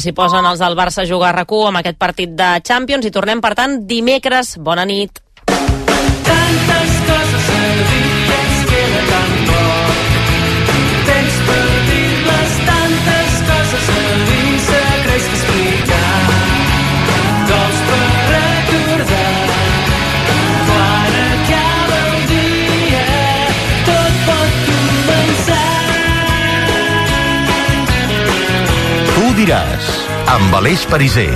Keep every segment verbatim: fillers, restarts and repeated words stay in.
S'hi posen els del Barça a jugar a RAC u amb aquest partit de Champions i tornem, per tant, dimecres. Bona nit. Tantes coses a dir, ens queda tan poc temps per dir-les, tantes coses a dir, secrets que explicar, cols per recordar, quan acaba el dia, tot pot començar. Tu diràs, amb Aleix Pariser.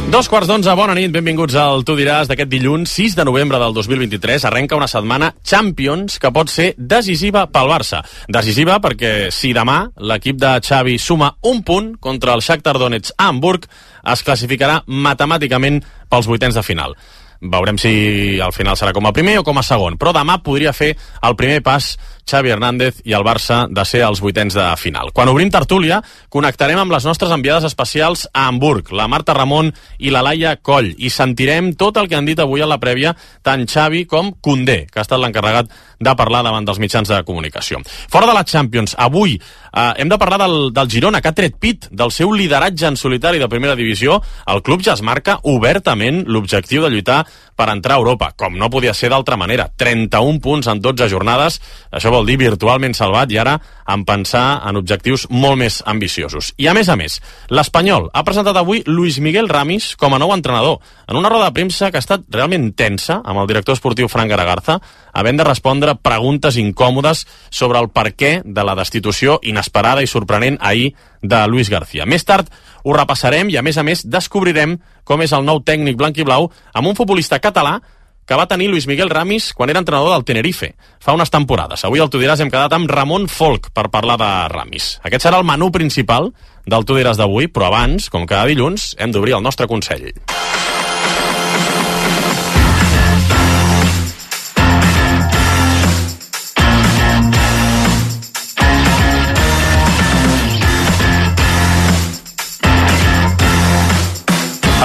Dos quarts d'onze, bona nit, benvinguts al Tu diràs d'aquest dilluns sis de novembre del dos mil vint-i-tres. Arrenca una setmana Champions que pot ser decisiva pel Barça. Decisiva perquè si demà l'equip de Xavi suma un punt contra el Shakhtar Donetsk a Hamburg, es classificarà matemàticament pels vuitens de final. Veurem si al final serà com a primer o com a segon, però demà podria fer el primer pas Xavi Hernández i el Barça de ser als vuitens de final. Quan obrim tertúlia, connectarem amb les nostres enviades especials a Hamburg, la Marta Ramon i la Laia Coll, i sentirem tot el que han dit avui a la prèvia tant Xavi com Koundé, que ha estat l'encarregat de parlar davant dels mitjans de comunicació. Fora de la Champions, avui eh, hem de parlar del, del Girona, que ha tret pit del seu lideratge en solitari de primera divisió. El club ja es marca obertament l'objectiu de lluitar per entrar a Europa, com no podia ser d'altra manera. trenta-un punts en dotze jornades, això vol dir virtualment salvat, i ara en pensar en objectius molt més ambiciosos. I a més a més, l'Espanyol ha presentat avui Luis Miguel Ramis com a nou entrenador, en una roda de premsa que ha estat realment tensa amb el director esportiu Fran Garagarza, havent de respondre preguntes incòmodes sobre el perquè de la destitució inesperada i sorprenent ahir de Luis García. Més tard ho repassarem i, a més a més, descobrirem com és el nou tècnic blanc-i-blau amb un futbolista català que va tenir Luis Miguel Ramis quan era entrenador del Tenerife fa unes temporades. Avui al Tu diràs hem quedat amb Ramon Folk per parlar de Ramis. Aquest serà el menú principal del Tu diràs d'avui, però abans, com cada dilluns, hem d'obrir el nostre consell.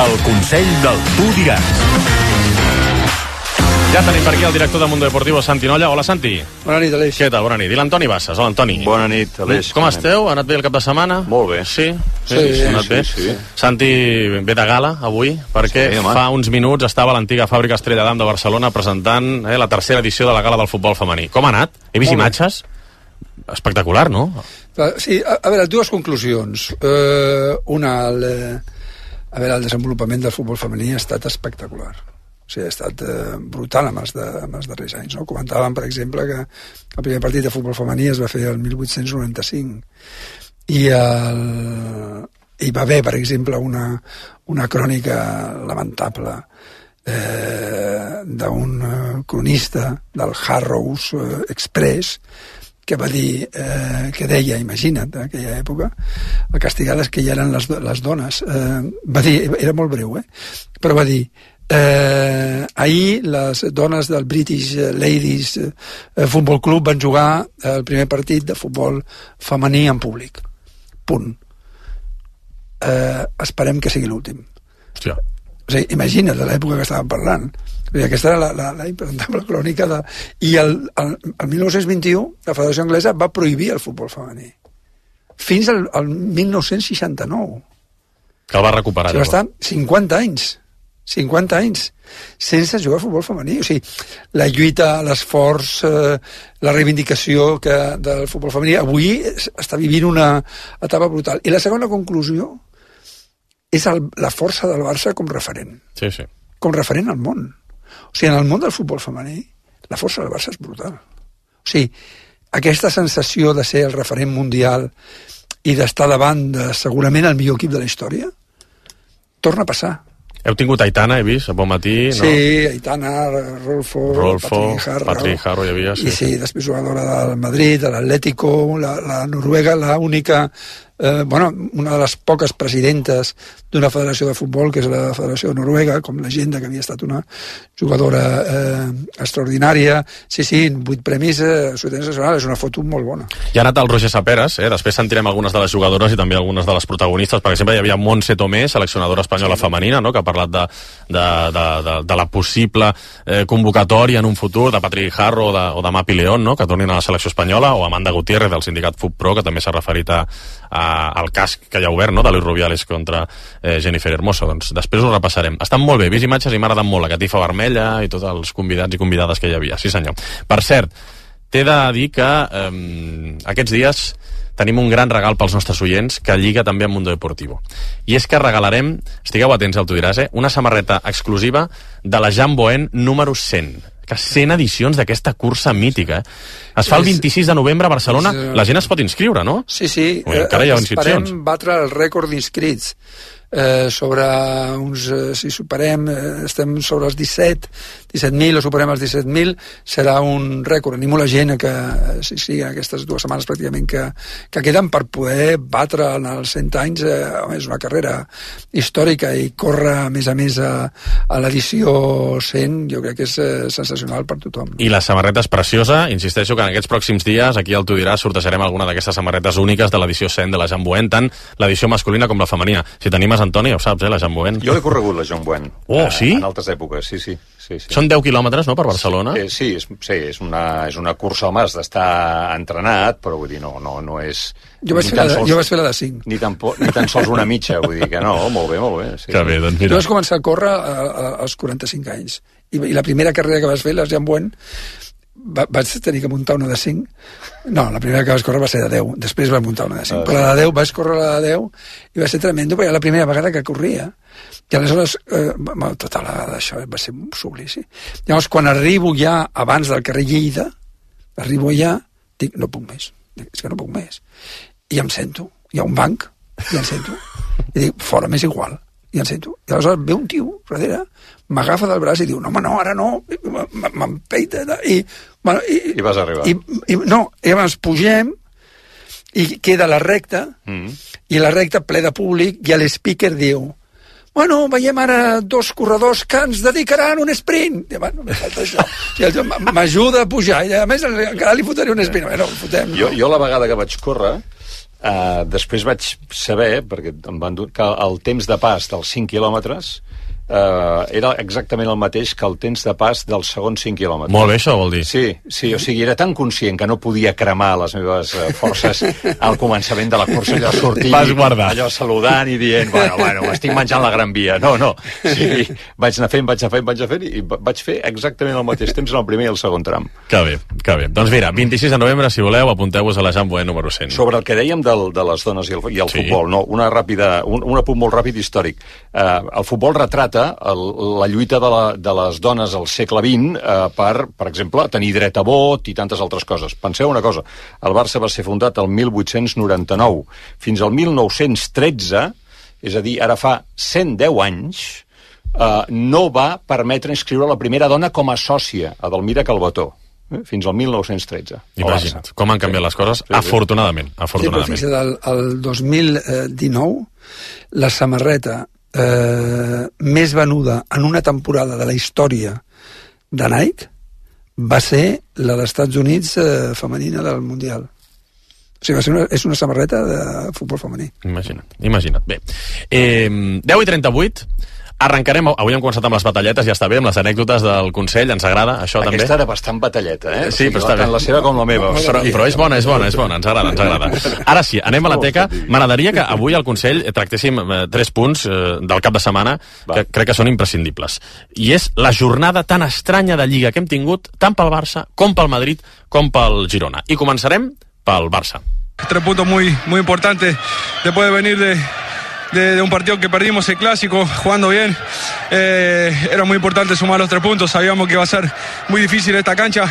El consell del Tu diràs. Ja tenim per aquí el director de Mundo Deportivo, Santi Nolla. Hola, Santi. Bona nit, Aleix. Què tal? Bona nit. I l'Antoni Bassas. Hola, Antoni. Bona nit, Aleix. Com esteu? Ha anat bé el cap de setmana? Molt bé. Sí? Sí, sí, sí, ha anat sí, bé. sí. Santi ve de gala avui, perquè Sí, fa uns minuts estava a l'antiga fàbrica Estrella d'Am de Barcelona presentant eh, la tercera edició de la gala del futbol femení. Com ha anat? He vist Molt bé. imatges? Espectacular, no? Sí, a, a veure, dues conclusions. Uh, una, el, a veure, el desenvolupament del futbol femení ha estat espectacular. O sigui, ha estat eh, brutal amb els, de, amb els darrers anys. No? Comentàvem, per exemple, que el primer partit de futbol femení es va fer el divuit noranta-cinc i el, hi va haver, per exemple, una, una crònica lamentable eh, d'un cronista del Harrows Express que va dir, eh, que deia, imagina't, en aquella època, el castigades que ja eren les, les dones. Eh, va dir, era molt breu, eh? Però va dir, Eh, ahir les dones del British Ladies eh, Football Club van jugar el primer partit de futbol femení en públic. Punt. Eh, esperem que sigui l'últim. Hòstia. O sigui, imagina't de l'època que estàvem parlant. O sigui, aquesta era la, la, la impresentable crònica de... I el, el, el dinou vint-i-u la Federació Anglesa va prohibir el futbol femení. Fins al, al dinou seixanta-nou. Que el va recuperar. O sigui, va estar cinquanta anys. cinquanta anys sense jugar a futbol femení. O sigui, la lluita, l'esforç, eh, la reivindicació que del futbol femení avui està vivint una etapa brutal. I la segona conclusió és el, la força del Barça com referent. Sí, sí. Com referent al món. O sigui, en el món del futbol femení, la força del Barça és brutal. O sigui, aquesta sensació de ser el referent mundial i d'estar davant de segurament el millor equip de la història torna a passar. Heu tingut Aitana, he vist, a bon matí, no? Sí, Aitana, Rolfo, Rolfo, Patrick Harro. Patrick Harro hi havia, sí. I sí, després jugadora del Madrid, de l'Atlético, la, la Noruega, l'única eh, bueno, una de les poques presidentes d'una federació de futbol, que és la Federació de Noruega, com l'Agenda, que havia estat una jugadora eh, extraordinària. Sí, sí, vuit premis, eh, nacional, és una foto molt bona. I ha anat el Roger Saperas, eh? Després sentirem algunes de les jugadores i també algunes de les protagonistes. Per exemple, hi havia Montse Tomé, seleccionadora espanyola sí. femenina, no? Que ha parlat de, de, de, de, de la possible eh, convocatòria en un futur de Patrick Harro o de, o de Mapi León, no? Que tornin a la selecció espanyola, o Amanda Gutiérrez del sindicat FutPro, que també s'ha referit a, a, al cas que hi ha obert, no? De Luis Rubiales contra eh, Jennifer Hermoso. Doncs després ho repassarem. Estan molt bé, vist imatges i m'ha agradat molt la catifa vermella i tots els convidats i convidades que hi havia. Sí senyor. Per cert, t'he de dir que eh, aquests dies tenim un gran regal pels nostres oients que lliga també amb Mundo Deportivo. I és que regalarem, estigueu atents al Tu diràs, eh, una samarreta exclusiva de la Jean Boen número cent. Que cent edicions d'aquesta cursa mítica. Eh? Es fa el vint-i-sis de novembre a Barcelona. La gent es pot inscriure, no? Sí, sí. Ui, encara hi ha inscripcions. Esperem batre el rècord d'inscrits. Eh, sobre uns, eh, si superem, eh, estem sobre els disset mil o superem els disset mil, serà un rècord. Animo la gent que, sí, sí, aquestes dues setmanes pràcticament que, que queden per poder batre en els cent anys, eh, és una carrera històrica i córrer a més a més a, a l'edició cent, jo crec que és eh, sensacional per tothom. I la samarreta és preciosa, insisteixo que en aquests pròxims dies aquí al Tu diràs sortejarem alguna d'aquestes samarretes úniques de l'edició cent de la Jean Boen, tant l'edició masculina com la femenina. Si t'animes, Antoni, ja ho saps, eh, la Jean Boen. Jo l'he corregut, la Jean Boen. Oh, sí? En altres èpoques, sí, sí. sí, sí. Són deu quilòmetres, no, per Barcelona? Sí, sí, és, sí és, una, és una cursa, home, has d'estar entrenat, però vull dir, no, no, no és... Jo vaig, fer la, sols, jo vaig fer la de cinc. Ni tan, ni tan sols una mitja, vull dir que no, molt bé, molt bé. Sí, que bé, doncs mira. Jo vaig començar a córrer a, a, als quaranta-cinc anys. I, I la primera carrera que vas fer, la Jean Boen, va, vaig tenir que muntar una de cinc. No, la primera que vaig córrer va ser de deu. Després vaig muntar una de cinc. Ah, però la de deu, vaig córrer la de deu i va ser tremendo, perquè era la primera vegada que corria. I aleshores, eh, tota la d'això va ser un suplici. Llavors, quan arribo ja abans del carrer Lleida, arribo ja, dic, no puc més. Dic, és que no puc més. I em sento. Hi ha un banc, i em sento. I dic, fora, m'és igual. I em sento. I aleshores ve un tio darrere, m'agafa del braç i diu, no, home, no, ara no, m'empeita. I, bueno, i, I vas arribar. I, i, no, i llavors pugem i queda la recta, mm. i la recta ple de públic, i l'speaker diu, bueno, veiem ara dos corredors que ens dedicaran un sprint. I, bueno, me falta això. O m'ajuda a pujar, i a més encara li fotré un sprint. Bueno, fotem, jo, jo la vegada que vaig córrer, Uh, després vaig saber, perquè em van dur, que el temps de pas dels cinc quilòmetres uh, era exactament el mateix que el temps de pas dels segons cinc quilòmetres. Molt bé, això vol dir. Sí, sí, o sigui, era tan conscient que no podia cremar les meves uh, forces al començament de la cursa, allò sortir, allò saludant i dient, bueno, bueno, m'estic menjant la Gran Via. No, no, sí, vaig anar fent, vaig anar fent, vaig anar fent, i vaig fer exactament el mateix temps en el primer i el segon tram. Que bé, que bé. Doncs mira, vint-i-sis de novembre, si voleu, apunteu-vos a la Jean Boen número cent. Sobre el que dèiem del, de les dones i el, i el sí. futbol, no? Una ràpida, un, un apunt molt ràpid històric. Uh, el futbol retrata el, la lluita de, la, de les dones al segle vint uh, per, per exemple, tenir dret a vot i tantes altres coses. Penseu una cosa, el Barça va ser fundat el mil vuit-cents noranta-nou. Fins al mil nou-cents tretze, és a dir, ara fa cent deu anys, uh, no va permetre inscriure la primera dona com a sòcia, a Delmira Calvetó. Fins al mil nou-cents tretze. Imagina't com han canviat les coses, sí, afortunadament. afortunadament. Sí, però fins al dos mil dinou, la samarreta eh, més venuda en una temporada de la història de Nike va ser la dels Estats Units eh, femenina del Mundial. O sigui, va ser una, és una samarreta de futbol femení. Imagina't, imagina't. Bé, eh, deu i trenta-vuit... Arrencarem, avui hem començat amb les batalletes, ja està bé, amb les anècdotes del Consell, ens agrada, això Aquesta també. Aquesta era bastant batalleta, eh? Sí, però està bé. Tant la seva com la meva. Però, però és bona, és bona, és bona, ens agrada, ens agrada. Ara sí, anem a la teca. M'agradaria que avui al Consell tractéssim eh, tres punts eh, del cap de setmana que crec que són imprescindibles. I és la jornada tan estranya de Lliga que hem tingut, tant pel Barça, com pel Madrid, com pel Girona. I començarem pel Barça. Tres puntos muy, muy importantes después de venir de... De, de un partido que perdimos el clásico, jugando bien. Eh, era muy importante sumar los tres puntos, sabíamos que iba a ser muy difícil esta cancha.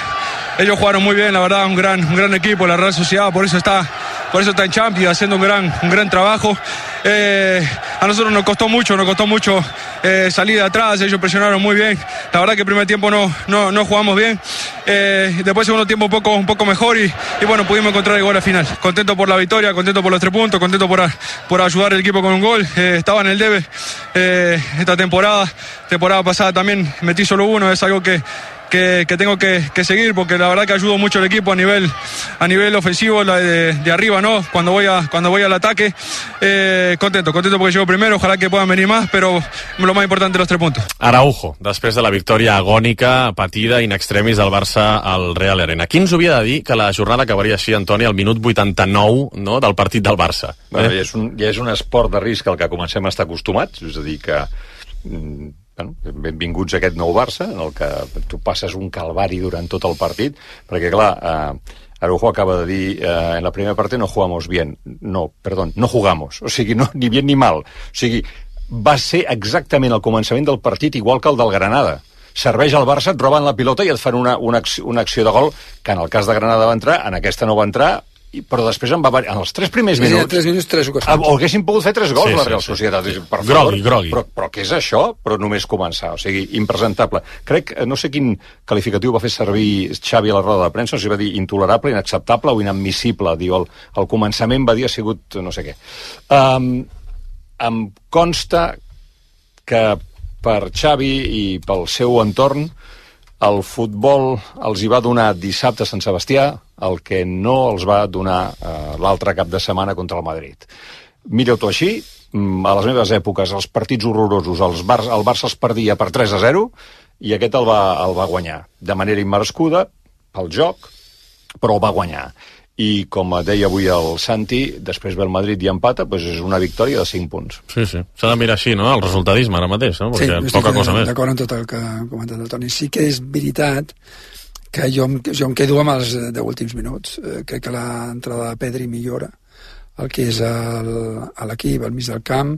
Ellos jugaron muy bien, la verdad, un gran, un gran equipo, la Real Sociedad, por eso está, por eso está en Champions, haciendo un gran, un gran trabajo. Eh, a nosotros nos costó mucho, nos costó mucho eh, salir de atrás, ellos presionaron muy bien. La verdad que el primer tiempo no, no, no jugamos bien. Eh, después segundo tiempo un poco, un poco mejor y, y bueno, pudimos encontrar el gol al final. Contento por la victoria, contento por los tres puntos, contento por, a, por ayudar al equipo con un gol. Eh, estaba en el debe eh, esta temporada, temporada pasada también metí solo uno, es algo que Que, que tengo que, que seguir porque la verdad que ayudo mucho al equipo a nivel a nivel ofensivo, la de, de arriba, ¿no? Cuando voy a cuando voy al ataque, eh, contento, contento porque llego primero, ojalá que puedan venir más, però lo más importante los tres puntos. Araujo, després de la victòria agònica, patida in extremis del Barça al Real Arena. Qui ens havia de dir que la jornada acabaria així, Antoni, al minut vuitanta-nou, no?, del partit del Barça? Bueno, eh? ja, és un, ja és un esport de risc al que comencem a estar acostumats, és a dir que bueno, benvinguts a aquest nou Barça, en el que tu passes un calvari durant tot el partit, perquè, clar, eh, Araujo acaba de dir eh, en la primera parte no jugamos bien. No, perdón, no jugamos. O sigui, no, ni bien ni mal. O sigui, va ser exactament el començament del partit igual que el del Granada. Serveix al Barça, et roben la pilota i et fan una, una, acció, una acció de gol que en el cas de Granada va entrar, en aquesta no va entrar, però després en, va, en els tres primers minuts... En tres minuts, tres ocasions. O haguessin pogut fer tres gols, sí, la Real sí, Societat. sí. Per favor, grogui, grogui. Però, però què és això? Però només començar. O sigui, impresentable. Crec, no sé quin qualificatiu va fer servir Xavi a la roda de premsa, no sé si va dir intolerable, inacceptable o inadmissible. Diu, el, el començament va dir ha sigut no sé què. Um, em consta que per Xavi i pel seu entorn el futbol els hi va donar dissabte a Sant Sebastià el que no els va donar eh, l'altre cap de setmana contra el Madrid. Mira-t'ho així, a les meves èpoques els partits horrorosos, els Bar el Barça els perdia per tres a zero i aquest el va, el va guanyar de manera immerescuda pel joc, però el va guanyar. I com deia avui el Santi, després ve el Madrid i empata, doncs és una victòria de cinc punts. Sí, sí. S'ha de mirar així, no?, el resultadisme ara mateix, no? Perquè sí, poca cosa més. D'acord amb tot el que ha comentat el Toni. Sí que és veritat que jo, jo em quedo amb els deu últims minuts. Eh, crec que l'entrada de Pedri millora el que és el, a l'equip, al mig del camp.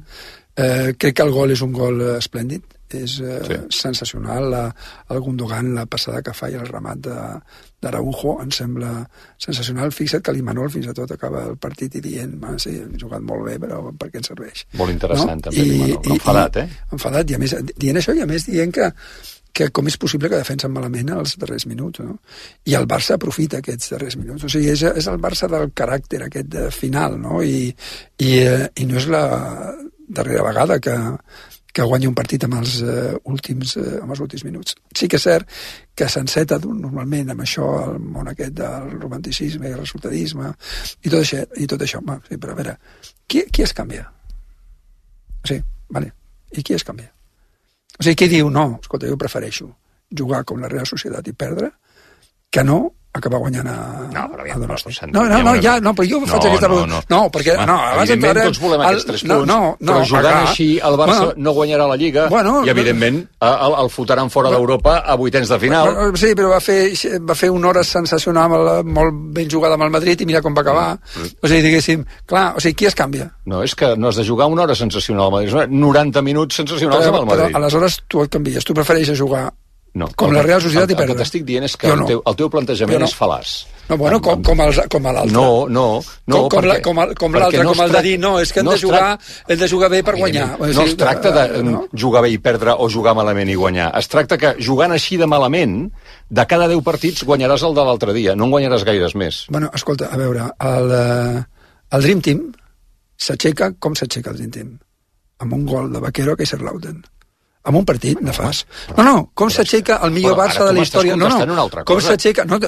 Eh, crec que el gol és un gol esplèndid, és eh, sí. sensacional. La, el Gundogan, la passada que fa i el remat d'Araujo em sembla sensacional. Fixa't que l'Imanol fins i tot acaba el partit i dient, sí, hem jugat molt bé, però per què ens serveix? Molt interessant, no? També, I, l'Imanol. Enfadat, eh? Enfadat, i a més, dient això, i a més dient que que com és possible que defensen malament els darrers minuts, no? I el Barça aprofita aquests darrers minuts. O sigui, és, és el Barça del caràcter aquest de final, no? I, i, eh, i no és la darrera vegada que, que guanya un partit amb els, uh, últims, uh, amb els últims minuts. Sí que és cert que s'enceta normalment amb això, el món aquest del romanticisme i el resultadisme, i tot això, i tot això. Home, sí, però a veure, qui, qui es canvia? Sí, vale. I qui es canvia? O sigui, qui diu, no, escolta, jo prefereixo jugar com la Real Societat i perdre que no acabar guanyant a... No, però ja, no, no, no, no, ja, no, però jo faig no, aquesta... No, no, no, perquè... No, abans evidentment tots volem aquests tres punts, no, no, però jugant acá, així el Barça bueno, no guanyarà la Lliga bueno, i, evidentment, el, el fotran fora bueno, d'Europa a vuitens de final. Bueno, sí, però va fer, va fer una hora sensacional, molt ben jugada amb el Madrid i mira com va acabar. Mm. O sigui, diguéssim, clar, o sigui, qui es canvia? No, és que no has de jugar una hora sensacional al Madrid, noranta minuts sensacionals però, amb el Madrid. Però aleshores tu et canvies, tu prefereixes jugar no, com la Real Societat i perdre. El que t'estic dient és que el, teu, el teu plantejament no. és fal·laç. No, bueno, com, com, els, com l'altre. No, no, no. Com, com, la, com, el, com l'altre, no com el de dir, no, és que hem, no de jugar, hem de jugar bé per guanyar. No es tracta de no? jugar bé i perdre o jugar malament i guanyar. Es tracta que jugant així de malament, de cada deu partits guanyaràs el de l'altre dia, no en guanyaràs gaires més. Bueno, escolta, a veure, el, el Dream Team s'aixeca, com s'aixeca el Dream Team? Amb un gol de Vaquero a Kaiserslautern. Amb un partit nefast. No, no, com s'aixeca el millor Barça de la història? No, no, com s'aixeca, no,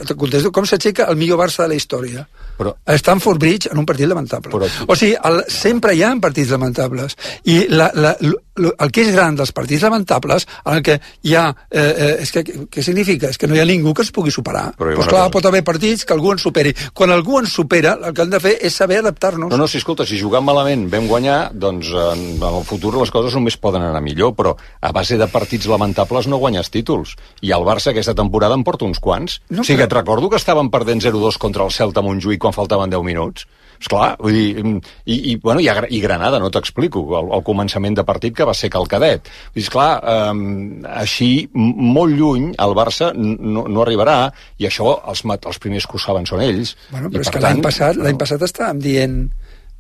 com s'aixeca el millor Barça de la història? Però, a Stamford Bridge en un partit lamentable. Però, o sigui, el, sempre hi ha partits lamentables. I la, la, el que és gran dels partits lamentables, en el que hi ha... Eh, eh, és que, què significa? És que no hi ha ningú que es pugui superar. Però pues clar, cosa. Pot haver partits que algú ens superi. Quan algú ens supera, el que hem de fer és saber adaptar-nos. No, no, si escolta, si jugant malament vam guanyar, doncs en, en el futur les coses només poden anar millor, però a base de partits lamentables no guanyes títols. I el Barça aquesta temporada en porta uns quants. No, o sigui, però... et recordo que estaven perdent zero dos contra el Celta Montjuïc quan faltaven deu minuts. Esclar, vull dir, i, i, bueno, i, i Granada, no t'explico, el, el començament de partit que va ser calcadet. Vull dir, esclar, um, així, molt lluny, el Barça no, no arribarà, i això, els, els primers que ho saben són ells. Bueno, però i, és que tant, l'any passat, no... l'any passat estàvem dient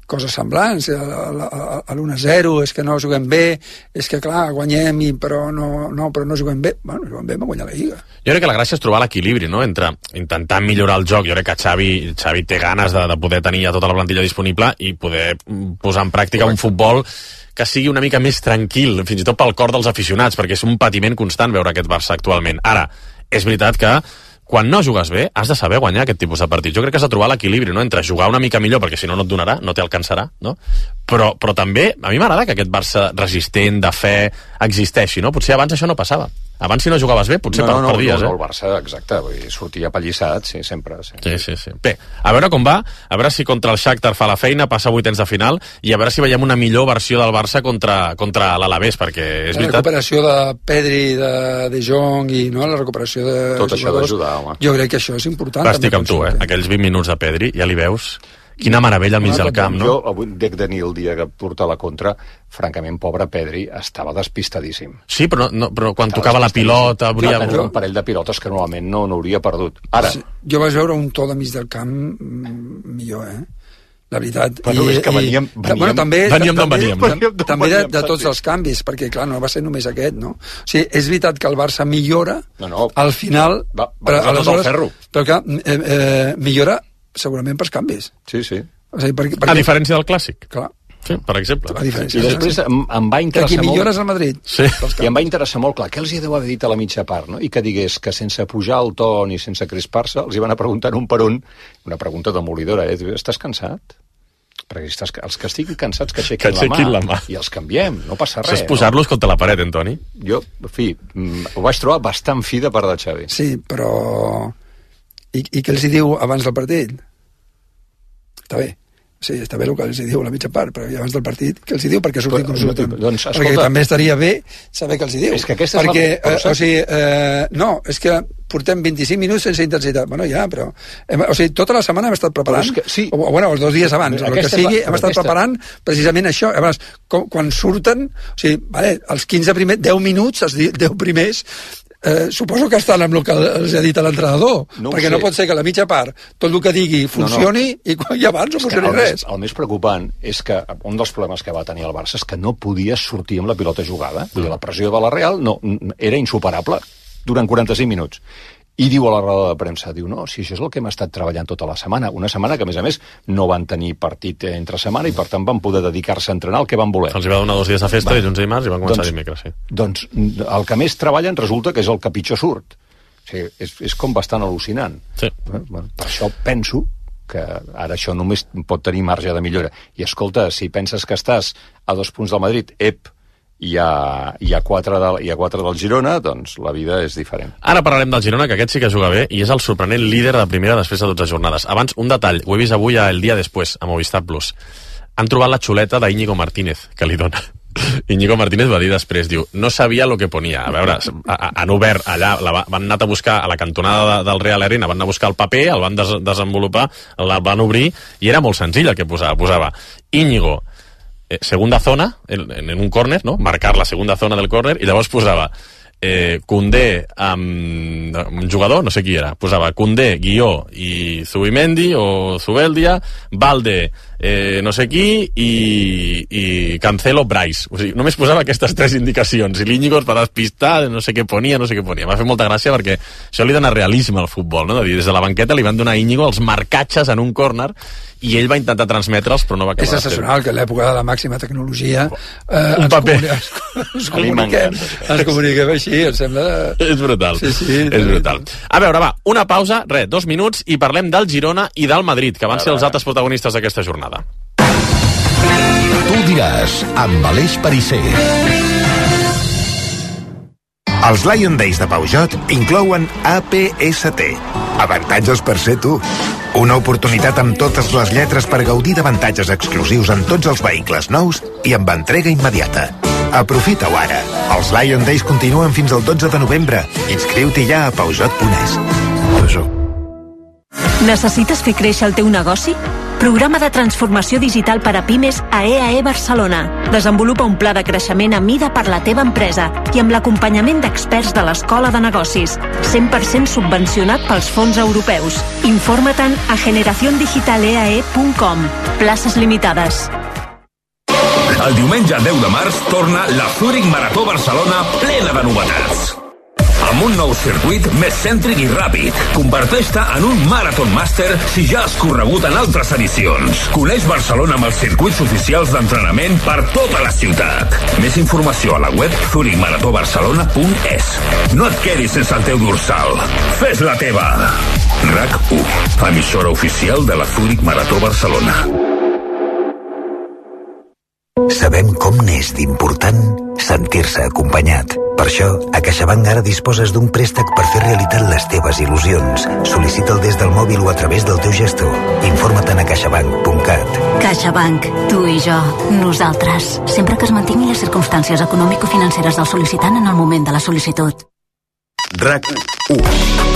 coses semblants, a l'u a zero, és que no juguem bé, és que clar, guanyem, i, però, no, no, però no juguem bé. Bueno, juguem bé, vam guanyar la Lliga. Jo crec que la gràcia és trobar l'equilibri, no?, entre intentar millorar el joc. Jo crec que Xavi, Xavi té ganes de, de poder tenir ja tota la plantilla disponible i poder posar en pràctica un futbol que sigui una mica més tranquil, fins i tot pel cor dels aficionats, perquè és un patiment constant veure aquest Barça actualment. Ara, és veritat que quan no jugues bé, has de saber guanyar aquest tipus de partits. Jo crec que has de trobar l'equilibri, no?, entre jugar una mica millor, perquè si no no et donarà, no t'alcançarà, no? Però, però també, a mi m'agrada que aquest Barça resistent, de fe, existeixi, no? Potser abans això no passava. Abans, si no jugaves bé, potser no, no, perdies, no, no, eh? el Barça, exacte, vull dir, sortia pallissat, sí, sempre. Sí. Sí, sí, sí. Bé, a veure com va, a veure si contra el Shakhtar fa la feina, passa a vuitens de final, i a veure si veiem una millor versió del Barça contra, contra l'Alavés, perquè és la veritat... La recuperació de Pedri, de, de Jong, i no, la recuperació de tot això d'ajudar, home. Jo crec que això és important. Va, estic amb tu, eh? Aquells vint minuts de Pedri, ja li veus... Quina meravella al mig del camp, no? Jo avui dec de tenir el dia que porta la contra, francament, pobre Pedri, estava despistadíssim. Sí, però, no, però quan estava tocava la pilota... Hauria... Jo, un parell de pilotes que normalment no n'hauria perdut. Ara... Sí, jo vaig veure un to de mig del camp millor, eh? La veritat. Però és que veníem... veníem bueno, també, veníem d'on veníem. També, veníem també de, de tots els canvis, perquè, clar, no va ser només aquest, no? O sigui, és veritat que el Barça millora, no, no. al final... Va, va posar tot el ferro. Però, clar, eh, eh, millora segurament pels canvis. Sí, sí. O sigui, perquè, perquè... A diferència del clàssic. Clar. Sí, per exemple. A diferència. I després em, em va interessar que aquí molt... millores al Madrid. Sí. I em va interessar molt, clar, què els hi deu haver dit a la mitja part, no? I que digués que sense pujar el to ni sense crispar-se, els hi van a preguntar un per un, una pregunta demolidora, eh? Estàs cansat? Perquè estàs, els que estiguin cansats que aixequin, que aixequin la, mà, la mà i els canviem, no passa res. Això és posar-los no? contra la paret, Antoni. Jo, en fi, ho vaig trobar bastant fi de part de Xavi. Sí, però... I, i què els hi diu abans del partit? Està bé. Sí, està bé el que els hi diu la mitja part, però abans del partit, què els hi diu? Perquè surtin com surten. Doncs, escolta, perquè també estaria bé saber què els hi diu. És que aquesta és perquè, la... eh, o sigui, eh, no, és que portem vint-i-cinc minuts sense intensitat. Bueno, ja, però... Hem, o sigui, tota la setmana hem estat preparant, que, sí. o, bueno, els dos dies abans, o el que sigui, la, hem estat aquesta... preparant precisament això. Llavors, com, quan surten, o sigui, vale, els quinze primers, deu minuts, els deu primers, Eh, suposo que estan amb el que els ha dit l'entrenador, no perquè no pot ser que la mitja part tot el que digui funcioni no, no. i, i abans no funcioni el res. Més, el més preocupant és que un dels problemes que va tenir el Barça és que no podia sortir amb la pilota jugada. Vull dir, la pressió de la Real no, era insuperable durant quaranta-cinc minuts. I diu a la roda de premsa, diu, no, si això és el que hem estat treballant tota la setmana, una setmana que, a més a més, no van tenir partit entre setmana i, per tant, van poder dedicar-se a entrenar el que van voler. Els va donar dos dies de festa, va. dilluns i dimarts, i van començar doncs, dimecres, sí. Doncs el que més treballen resulta que és el que pitjor surt. O sigui, és, és com bastant al·lucinant. Sí. Bueno, per això penso que ara això només pot tenir marge de millora. I, escolta, si penses que estàs a dos punts del Madrid, ep, i a, i, a quatre de, i a quatre del Girona, doncs la vida és diferent. Ara parlarem del Girona, que aquest sí que juga bé i és el sorprenent líder de primera després de dotze jornades. Abans, un detall, ho he vist avui a El Dia Después, a Movistar Plus. Han trobat la xuleta d'Íñigo Martínez, que li dona. Íñigo Martínez va dir després, diu, no sabia lo que ponia. A veure, han obert allà, la, van anar a buscar a la cantonada de, del Real Arena, van anar a buscar el paper, el van des, desenvolupar, el van obrir, i era molt senzill el que posava. Posava Íñigo, eh, segunda zona, en, en un córner, no? Marcar la segunda zona del córner, i llavors posava eh, Koundé amb un jugador, no sé qui era, posava Koundé, Guió i Zubimendi o Zubeldia, Valde, eh, no sé qui, i, i Cancelo, Bryce. O sigui, només posava aquestes tres indicacions, i l'Íñigo es va despistar, no sé què ponia, no sé què ponia. M'ha fet molta gràcia perquè això li dona realisme al futbol, no? De dir, des de la banqueta li van donar a Íñigo els marcatges en un córner i ell va intentar transmetre'ls, però no va acabar. És excepcional que a l'època de la màxima tecnologia eh, un ens, paper. Comuni ens, ens, comuniquem, ens comuniquem així, em sembla... És brutal, sí, sí, és brutal. A veure, va, una pausa, res, dos minuts, i parlem del Girona i del Madrid, que van ser els altres protagonistes d'aquesta jornada. Tu diràs, amb Aleix Perisser. Els Lion Days de Peugeot inclouen A P S T. Avantatges per ser tu. Una oportunitat amb totes les lletres per gaudir d'avantatges exclusius en tots els vehicles nous i amb entrega immediata. Aprofita-ho ara. Els Lion Days continuen fins al dotze de novembre. Inscriu-t'hi ja a Peugeot punt es. Necessites fer créixer el teu negoci? Programa de transformació digital per a pimes a E A E Barcelona. Desenvolupa un pla de creixement a mida per la teva empresa i amb l'acompanyament d'experts de l'Escola de Negocis. cent per cent subvencionat pels fons europeus. Informa-te'n a generación digital e a e punt com. Places limitades. El diumenge deu de març torna la Zurich Marató Barcelona plena de novetats. Amb un nou circuit més cèntric i ràpid. Converteix-te en un Marathon Master si ja has corregut en altres edicions. Coneix Barcelona amb els circuits oficials d'entrenament per tota la ciutat. Més informació a la web zurich marató barcelona punt es. No et quedis sense el teu dorsal. Fes la teva. RAC u, emissora oficial de la Zurich Marató Barcelona. Sabem com n'és d'important sentir-se acompanyat. Per això, a CaixaBank ara disposes d'un préstec per fer realitat les teves il·lusions. Sol·licita'l des del mòbil o a través del teu gestor. Informa't a caixabank punt cat. CaixaBank, tu i jo, nosaltres. Sempre que es mantinguin les circumstàncies econòmico-financeres del sol·licitant en el moment de la sol·licitud. RAC u.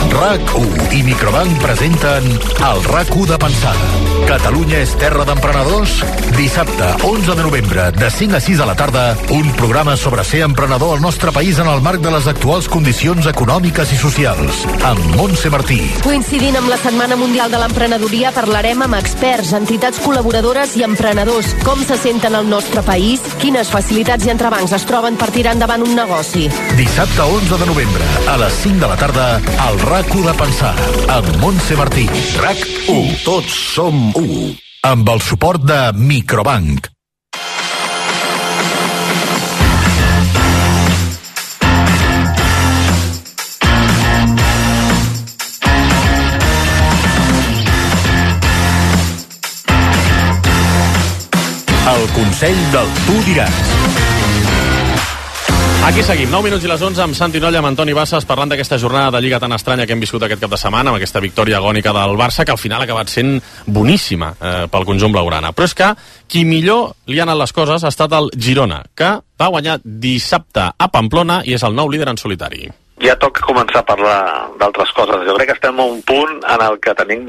RAC u i Microbank presenten el RAC u de Pensada. Catalunya és terra d'emprenedors? Dissabte, onze de novembre, de cinc a sis de la tarda, un programa sobre ser emprenedor al nostre país en el marc de les actuals condicions econòmiques i socials. Amb Montse Martí. Coincidint amb la Setmana Mundial de l'Emprenedoria, parlarem amb experts, entitats col·laboradores i emprenedors. Com se senten al nostre país? Quines facilitats i entrebancs es troben per tirar endavant un negoci? Dissabte, onze de novembre, a les cinc de la tarda, al RAC u de Pensada, amb Montse Martí. RAC u. Tots som u. Amb el suport de Microbank. El Consell del Tu Diràs. Aquí seguim, nou minuts i les onze, amb Santi Nolla, amb Antoni Bassas, parlant d'aquesta jornada de Lliga tan estranya que hem viscut aquest cap de setmana, amb aquesta victòria agònica del Barça, que al final ha acabat sent boníssima eh, pel conjunt blaugrana. Però és que qui millor li ha anat les coses ha estat el Girona, que va guanyar dissabte a Pamplona i és el nou líder en solitari. Ja toca començar a parlar d'altres coses. Jo crec que estem a un punt en el que tenim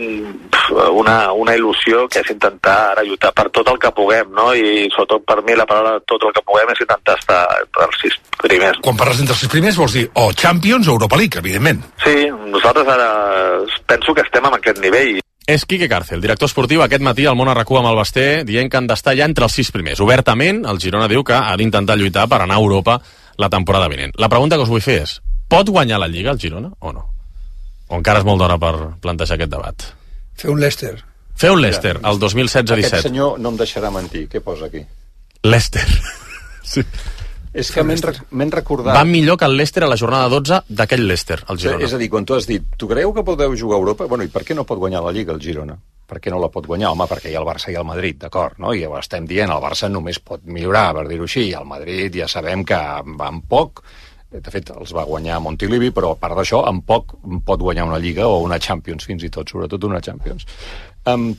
una, una il·lusió que és intentar ara lluitar per tot el que puguem, no? I sobretot per mi la paraula tot el que puguem és intentar estar entre els sis primers. Quan parles d'entre els sis primers vols dir o Champions o Europa League, evidentment. Sí, nosaltres ara penso que estem en aquest nivell. És Quique Cárcel, director esportiu, aquest matí al Món a RAC u amb el Basté, dient que han d'estar ja entre els sis primers. Obertament, el Girona diu que ha d'intentar lluitar per anar a Europa la temporada vinent. La pregunta que us vull fer és: pot guanyar la Lliga el Girona o no? O encara és molt d'hora per plantejar aquest debat? Fer un Leicester. Fer un Leicester, el dos mil setze disset. Aquest senyor no em deixarà mentir. Què posa aquí? Leicester. Sí. És que m'hem recordat... Va millor que el Leicester a la jornada dotze d'aquell Leicester, el Girona. És a dir, quan tu has dit, tu creieu que podeu jugar a Europa? Bueno, i per què no pot guanyar la Lliga el Girona? Per què no la pot guanyar? Home, perquè hi ha el Barça i el Madrid, d'acord, no? I ho estem dient, el Barça només pot millorar, per dir-ho així, i el Madrid ja sabem que va amb poc. De fet, els va guanyar a Montilivi, però a part d'això, amb poc pot guanyar una Lliga o una Champions, fins i tot, sobretot una Champions. Um,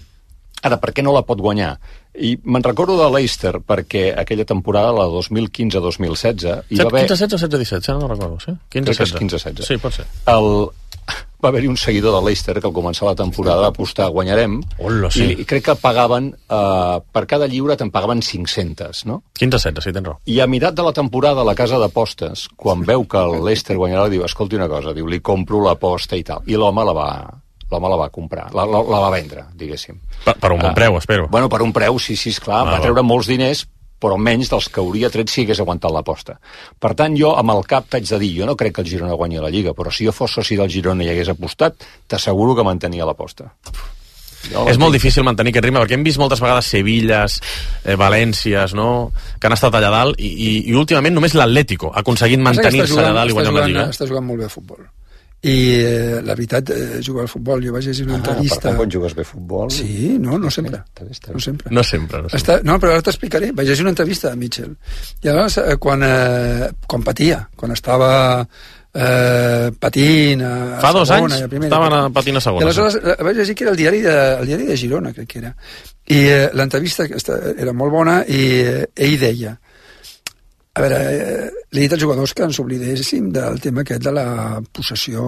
ara, per què no la pot guanyar? I me'n recordo de Leicester, perquè aquella temporada, la dos mil quinze dos mil setze... hi va haver... quinze setze o setze disset, ja no recordo, sí? quinze setze. quinze setze. Sí, pot ser. El... Va haver-hi un seguidor de Leicester que al començar la temporada va apostar guanyarem. Hola, sí. I crec que pagaven, eh, per cada lliure te'n pagaven cinc-centes, no? quinze setze, sí, tens raó. I a meitat de la temporada la casa d'apostes, quan veu que el Leicester guanyarà, diu, escolti una cosa, diu, li compro l'aposta i tal. I l'home la va... l'home la va comprar, la, la, la va vendre, diguéssim. Per, per un bon uh, preu, espero. Bueno, per un preu, sí, sí, esclar, ah, va treure molts diners, però menys dels que hauria tret si hagués aguantat l'aposta. Per tant, jo amb el cap t'haig de dir, jo no crec que el Girona guanyi la Lliga, però si jo fos soci del Girona i hagués apostat, t'asseguro que mantenia l'aposta. No, és molt difícil mantenir aquest ritme, perquè hem vist moltes vegades Sevilles, eh, Valències, no?, que han estat allà dalt, i, i, i últimament només l'Atlético ha aconseguit mantenir-se allà dalt i guanyar la Lliga. Està jugant molt bé a futbol. I eh, la veritat, eh, jugar al futbol, jo vaig llegir una ah, entrevista... Per tant, quan jugues bé a futbol... Sí, no, no sempre. No sempre. No sempre, no sempre. Està, no, però ara t'explicaré. Vaig llegir una entrevista a Mitchell. I llavors, eh, quan, eh, quan patia, quan estava eh, patint a, a Fa dos segona, anys a primera, estaven patint a segona. I aleshores sí. Vaig llegir que era el diari de, el diari de Girona, crec que era. I eh, l'entrevista era molt bona i eh, ell deia... A veure, eh, li he dit als jugadors que ens oblidéssim del tema aquest de la possessió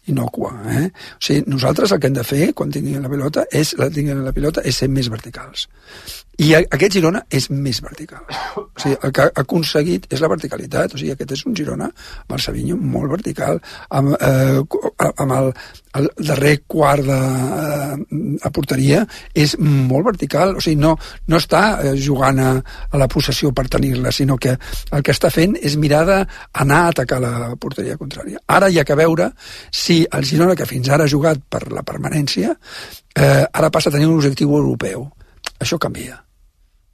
innocua. Eh? O sigui, nosaltres el que hem de fer, quan tinguin la pilota, és, la tinguin la pilota, és ser més verticals. I aquest Girona és més vertical. O sigui, el que ha aconseguit és la verticalitat. O sigui, aquest és un Girona, amb el Savinho, molt vertical, amb, eh, amb el, el darrer quart de, eh, a porteria, és molt vertical. O sigui, no, no està jugant a, a la possessió per tenir-la, sinó que el que està fent és mirar d'anar a atacar la porteria contrària. Ara hi ha que veure si el Girona, que fins ara ha jugat per la permanència, eh, ara passa a tenir un objectiu europeu. Això canvia.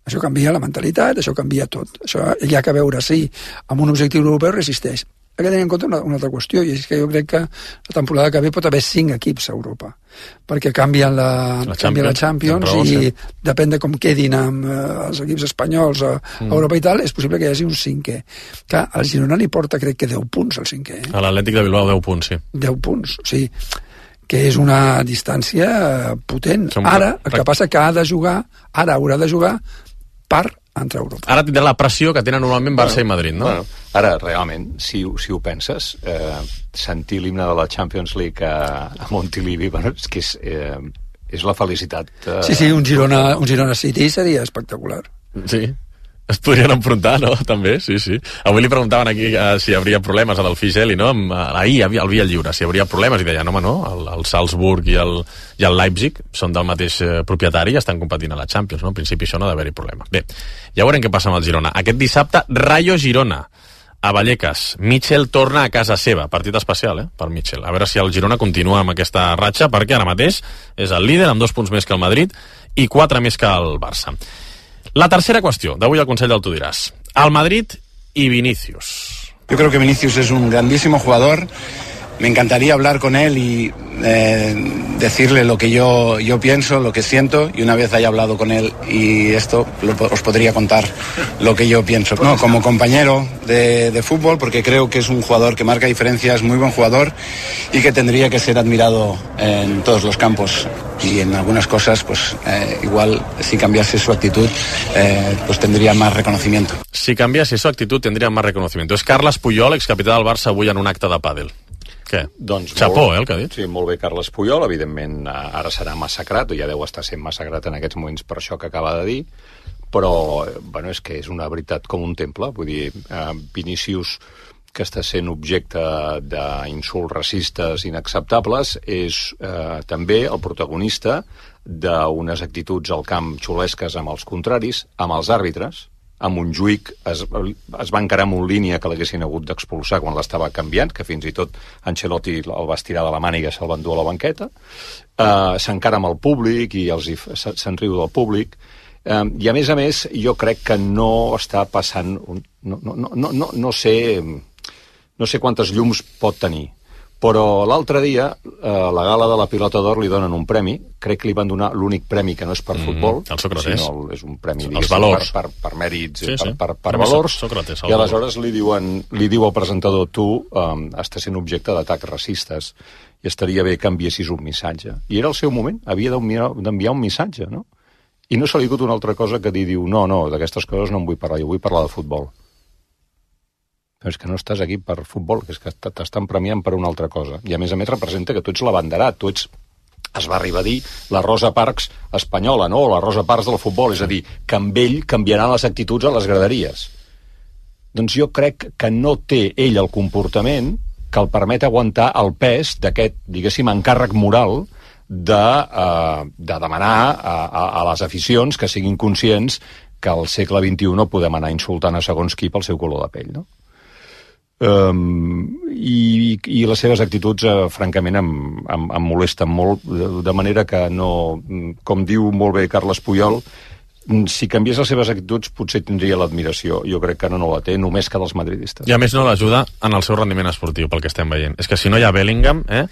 Això canvia la mentalitat, això canvia tot. Això hi ha que veure si amb un objectiu europeu resisteix. Hay que tenir en compte una, una altra qüestió, i és que jo crec que la temporada que ve pot haver cinc equips a Europa, perquè canvien la, la Champions, la Champions i sí. Depèn de com quedin amb eh, els equips espanyols a, mm. a Europa i tal, és possible que hi hagi un cinquè. Clar, al Girona li porta, crec que deu punts al cinquè. Eh? A l'Atlètic de Bilbao deu punts, sí. deu punts, o sigui, que és una distància potent. Som... Ara, el que passa que ha de jugar, ara haurà de jugar per entrar a Europa. Ara tindrà la pressió que tenen normalment Barça bueno, i Madrid, no? Bueno, ara, realment, si, si ho penses, eh, sentir l'himne de la Champions League a, a Montilivi, bueno, és que és, eh, és la felicitat... Eh, sí, sí, un Girona, un Girona City seria espectacular. Sí. Es podrien enfrontar, no? També, sí, sí. Avui li preguntaven aquí uh, si hi hauria problemes a del Figeli, no? Uh, ahir, al Via Lliure, si hi hauria problemes, i deia, no, home, no, el, el Salzburg i el, i el Leipzig són del mateix uh, propietari i estan competint a la Champions, no? En principi això no ha d'haver-hi problema. Bé, ja veurem què passa amb el Girona. Aquest dissabte, Rayo Girona, a Vallecas. Mitchell torna a casa seva. Partit especial, eh, per Mitchell. A veure si el Girona continua amb aquesta ratxa, perquè ara mateix és el líder amb dos punts més que el Madrid i quatre més que el Barça. La tercera cuestión, d'avui al Consell del Tu diràs. Al Madrid y Vinicius. Yo creo que Vinicius es un grandísimo jugador. Me encantaría hablar con él y eh, decirle lo que yo, yo pienso, lo que siento, y una vez haya hablado con él y esto, lo, os podría contar lo que yo pienso. No, como compañero de, de fútbol, porque creo que es un jugador que marca diferencias, muy buen jugador y que tendría que ser admirado en todos los campos. Y en algunas cosas, pues eh, igual si cambiase su actitud, eh, pues tendría más reconocimiento. Si cambiase su actitud, tendría más reconocimiento. És Carles Puyol, excapità del Barça, avui en un acte de pàdel. Què? Doncs Chapó, eh, el que ha dit. Sí, molt bé, Carles Puyol. Evidentment, ara serà massacrat, o ja deu estar sent massacrat en aquests moments per això que acaba de dir, però, bueno, és que és una veritat com un temple. Vull dir, eh, Vinícius, que està sent objecte d'insults racistes inacceptables, és eh, també el protagonista d'unes actituds al camp xulesques amb els contraris, amb els àrbitres. A Montjuïc es, es va encarar amb un línia que l'haguessin hagut d'expulsar quan l'estava canviant, que fins i tot Ancelotti el va estirar de la màniga i se'l va endur a la banqueta. Uh, s'encara amb el públic i els se'n riu del públic. Uh, I a més a més, jo crec que no està passant... Un, no, no, no, no, no sé... No sé quantes llums pot tenir, però l'altre dia, eh, la gala de la Pilota d'Or li donen un premi, crec que li van donar l'únic premi que no és per mm, futbol, el Sócrates. Sinó és un premi, els valors. Per, per, per mèrits, sí, sí. per, per, per valors, Sócrates, i aleshores li, diuen, li diu al presentador, tu um, estàs sent objecte d'atacs racistes i estaria bé que enviessis un missatge. I era el seu moment, havia d'enviar un missatge, no? I no se li ha dit una altra cosa que dir, diu, no, no, d'aquestes coses no en vull parlar, jo vull parlar de futbol. Però és que no estàs aquí per futbol, que és que t'estan premiant per una altra cosa. I a més a més representa que tu ets l'abanderat, tu ets, es va arribar a dir, la Rosa Parks espanyola, no? O la Rosa Parks del futbol, és a dir, que amb ell canviaran les actituds a les graderies. Doncs jo crec que no té ell el comportament que el permet aguantar el pes d'aquest, diguéssim, encàrrec moral de, uh, de demanar a, a, a les aficions que siguin conscients que al segle vint-i-u no podem anar insultant a segons qui pel seu color de pell, no? Um, i, i les seves actituds uh, francament em, em, em molesten molt, de, de manera que no, com diu molt bé Carles Puyol, si canviés les seves actituds potser tindria l'admiració. Jo crec que no, no la té, només que dels madridistes. I a més no l'ajuda en el seu rendiment esportiu, pel que estem veient. És que si no hi ha Bellingham, eh,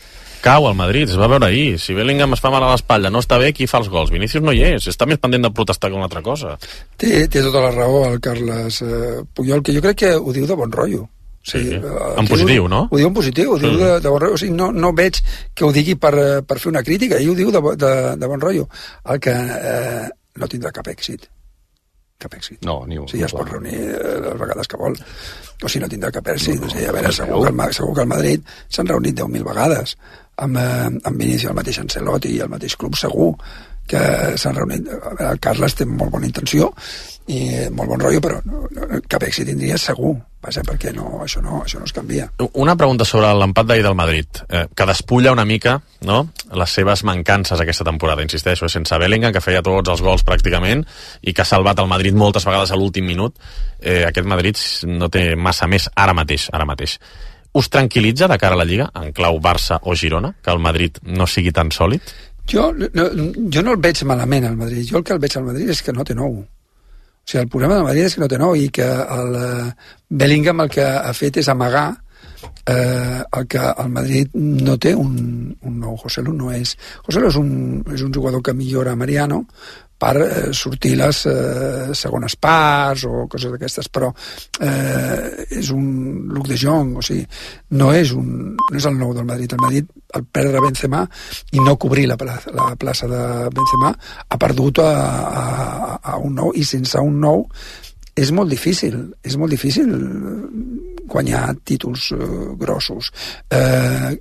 cau al Madrid, es va veure ahir. Si Bellingham es fa mal a l'espatlla, no està bé, qui fa els gols? Vinícius no hi és, està més pendent de protestar que una altra cosa. Té, té tota la raó el Carles eh, Puyol, que jo crec que ho diu de bon rotllo. Sí, sí. En positiu, diu, no? Ho diu en positiu, ho diu sí. de, de bon rotllo. O sigui, no, no veig que ho digui per, per fer una crítica, ell ho diu de, de, de bon rotllo. El que eh, no tindrà cap èxit. cap èxit. No, ni un. Sí, ja es pot reunir les vegades que vol. O si no tindrà cap èxit. No, no, o sigui, a veure, segur que, el, segur que el Madrid s'han reunit deu mil vegades amb, amb Vinicius, el mateix Ancelotti i el mateix club, segur que s'han reunit. A veure, el Carles té molt bona intenció i molt bon rotllo, però no, no, cap èxit tindria segur. Vaja, perquè no, això, no, això no es canvia. Una pregunta sobre l'empat d'ahir del Madrid, eh, que despulla una mica, no?, les seves mancances aquesta temporada, insisteixo, sense Bellingham, que feia tots els gols pràcticament i que ha salvat el Madrid moltes vegades a l'últim minut. Eh, aquest Madrid no té massa més ara mateix, ara mateix. Us tranquil·litza de cara a la Lliga, en clau Barça o Girona, que el Madrid no sigui tan sòlid? Jo no, jo no el veig malament al Madrid. Jo el que el veig al Madrid és que no té nou. O sigui, el problema del Madrid és que no té nou i que el Bellingham el que ha fet és amagar eh, el que el Madrid no té un, un nou. Joselu no és... Joselu és un, és un jugador que millora Mariano per eh, sortir les eh, segones parts o coses d'aquestes, però eh, és un Luc de Jong, o sigui, no és, un, no és el nou del Madrid. El Madrid, al perdre Benzema i no cobrir la plaça, la plaça de Benzema, ha perdut a, a, a un nou, i sense un nou és molt difícil, és molt difícil guanyar títols eh, grossos. Eh,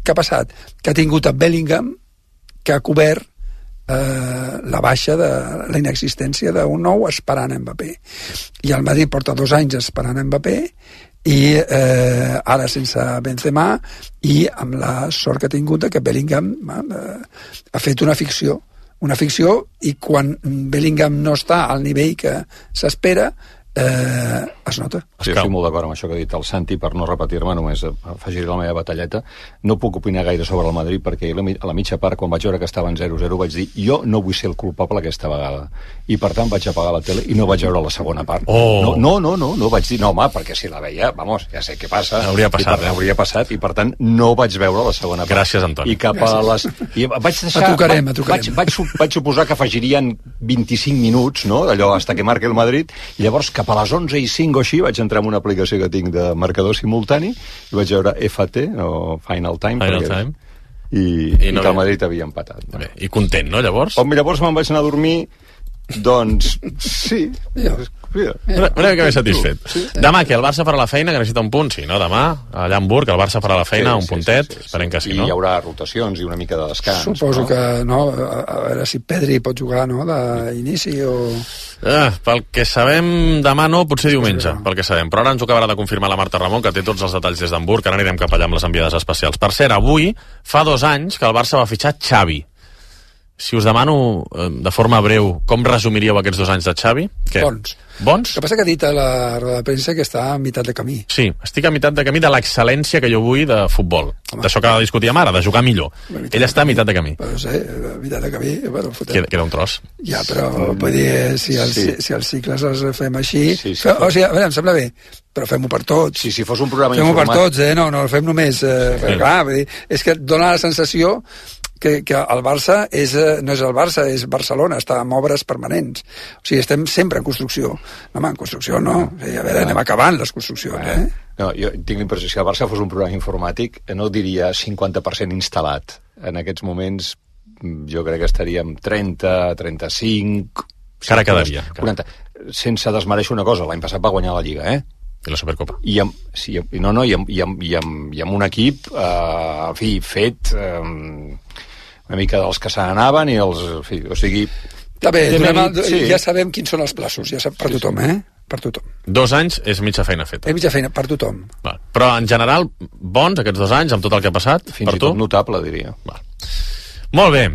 què ha passat? Que ha tingut a Bellingham, que ha cobert Eh, la baixa de la inexistència d'un nou esperant Mbappé, i el Madrid porta dos anys esperant Mbappé i eh, ara sense Benzema, i amb la sort que ha tingut que Bellingham eh, ha fet una ficció una ficció i quan Bellingham no està al nivell que s'espera eh, es nota. Sí, estic molt d'acord amb això que ha dit el Santi. Per no repetir-me, només afegiré la meva batalleta. No puc opinar gaire sobre el Madrid perquè a la mitja part, quan vaig veure que estaven zero zero, vaig dir, jo no vull ser el culpable aquesta vegada. I per tant vaig apagar la tele i no vaig veure la segona part. Oh. No, no, no, no, no vaig dir, no, home, perquè si la veia, vamos, ja sé què passa. Hauria passat, per, eh? Hauria passat, i per tant no vaig veure la segona part. Gràcies, Antoni. I cap a les... I vaig deixar... A trucarem, a trucarem. Vaig, vaig, vaig suposar que afegirien vint-i-cinc minuts, no?, d'allò hasta que marque el Madrid, i llavors cap a les onze i cinc o així vaig entrar en una aplicació que tinc de marcador simultani i vaig veure F T o Final Time, Final perquè, Time. I, I, i no que el Madrid havia empatat. No? Bé, i content, no, llavors? Home, llavors me'n vaig anar a dormir, doncs sí. Ja. Mira, una, una mica més satisfet. Sí. Demà, que el Barça farà la feina, que necessita un punt, sí, no? Demà, allà a Hamburg, el Barça farà la feina, sí, un puntet, sí, sí, sí, esperem que sí, i no? hi haurà rotacions i una mica de descans. Suposo no? que, no, a, a veure si Pedri pot jugar, no?, d'inici o... Ah, pel que sabem, demà no, potser diumenge, pel que sabem. Però ara ens ho acabarà de confirmar la Marta Ramon, que té tots els detalls des d'Hamburg, ara anirem cap allà amb les enviades especials. Per cert, avui fa dos anys que el Barça va fitxar Xavi. Si us demano, de forma breu, com resumiríeu aquests dos anys de Xavi? Què? Bons. Bons? El que passa que ha dit a la roda de premsa que està a meitat de camí. Sí, estic a meitat de camí de l'excel·lència que jo vull de futbol. D'això que discutíem ara, de jugar millor. Ell està a meitat de camí. Però no sé, a meitat de camí... Bueno, queda, queda un tros. Ja, però vull dir, si els, sí. si els cicles els fem així... Sí, sí, fe, o sigui, a veure, em sembla bé, però fem-ho per tots. Sí, si fos un programa fem-ho informat... per tots, eh? No, no el fem només... Eh, sí. Clar, vull dir, és que dona la sensació que, que el Barça és, no és el Barça, és Barcelona, està en obres permanents. O sigui, estem sempre en construcció. No, home, en construcció no. O sigui, a veure, anem acabant les construccions, eh? No, jo tinc la impressió que si el Barça fos un programa informàtic, no diria cinquanta per cent instal·lat. En aquests moments jo crec que estaríem trenta, trenta-cinc... Cara quedaria. quaranta. Sense desmereixer una cosa, l'any passat va guanyar la Lliga, eh? I la Supercopa. I amb, sí, no, no, i amb, i amb, i amb, i amb un equip, eh, en fi, fet... Eh, una mica dels que se n'anaven i els... En fi, o sigui... Està bé, mèrit, el, sí. ja sabem quins són els plaços, ja sap per tothom, eh? Per tothom. Dos anys és mitja feina feta. És mitja feina, per tothom. Val. Però, en general, bons aquests dos anys, amb tot el que ha passat, fins per i tu? tot notable, diria. Val. Molt bé.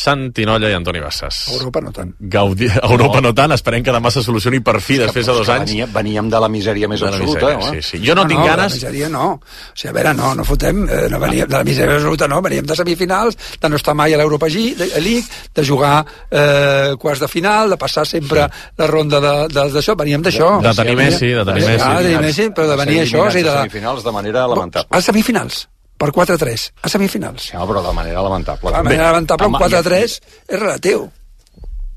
Santi Nolla i Antoni Bassas. Europa no tant. Gaudí... Europa no. no tant, esperem que demà se solucioni per fi, després de dos anys. Venia, veníem de la misèria més de absoluta. Misèria, sí, sí. Jo no, no tinc no, ganes... De la misèria no. O sigui, a veure, no, no fotem... Eh, no veníem de la misèria absoluta, no. Veníem de semifinals, de no estar mai a l'Europa League, de jugar eh, quarts de final, de passar sempre sí. la ronda d'això. Veníem d'això. De, de tenir Messi, de tenir Messi. Ah, de tenir Messi, però de venir això... O sigui, de la... semifinals de manera lamentable. A semifinals. Per quatre a tres, a semifinals. Sí, però de manera lamentable. De manera lamentable, un quatre a tres és relatiu.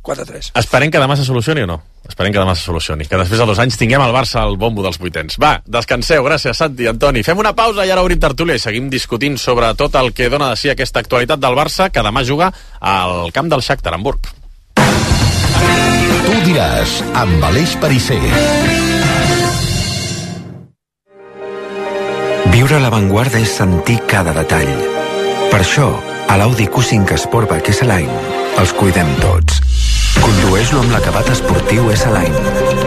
quatre a tres. Esperem que demà se solucioni o no? Esperem que demà se solucioni. Que després de dos anys tinguem al Barça al bombo dels vuitens. Va, descanseu. Gràcies, Santi, Antoni. Fem una pausa i ara obrim tertúlia i seguim discutint sobre tot el que dona de si aquesta actualitat del Barça, que demà juga al camp del Shakhtar, Hamburg. Tu diràs, amb Aleix Perisser. Viure a l'avantguarda és sentir cada detall. Per això, a l'Audi Q cinc Sportback S-Line els cuidem tots. Condueix-lo amb l'acabat esportiu S-Line,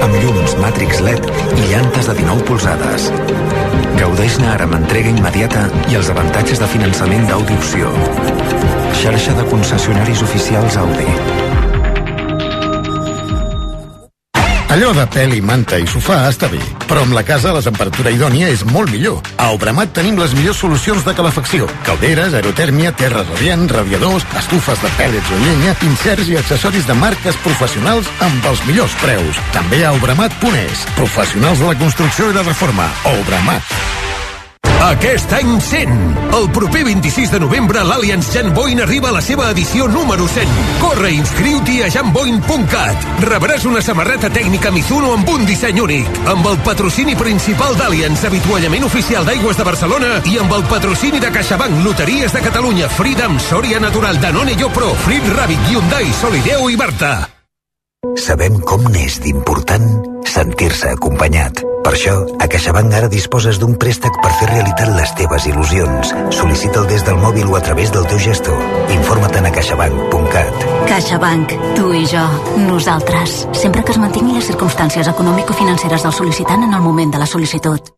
amb llums Matrix L E D i llantes de dinou polzades. Gaudeix-ne ara amb entrega immediata i els avantatges de finançament d'Audi Opció. Xarxa de concessionaris oficials Audi. Allò de pèl i manta i sofà està bé, però amb la casa a la temperatura idònia és molt millor. A Obramat tenim les millors solucions de calefacció. Calderes, aerotèrmia, terra radiant, radiadors, estufes de pèl·lets o llenya, inserts i accessoris de marques professionals amb els millors preus. També a obramat punt es. Professionals de la construcció i la reforma. Obramat. Aquest any cent! El proper vint-i-sis de novembre l'Allianz Janboin arriba a la seva edició número cent. Corre i inscriu-t'hi a janboin punt cat. Rebràs una samarreta tècnica Mizuno amb un disseny únic, amb el patrocini principal d'Allianz, avituallament oficial d'Aigües de Barcelona, i amb el patrocini de CaixaBank, Loteries de Catalunya, Freedom, Soria Natural, Danone Yopro, Frit Rabbit, Hyundai, Solideo i Barta. Sabem com n'és d'important sentir-se acompanyat. Per això, a CaixaBank ara disposes d'un préstec per fer realitat les teves il·lusions. Sol·licita'l des del mòbil o a través del teu gestor. Informa't a caixabank punt cat. CaixaBank, tu i jo, nosaltres. Sempre que es mantingui les circumstàncies econòmico-financeres del sol·licitant en el moment de la sol·licitud.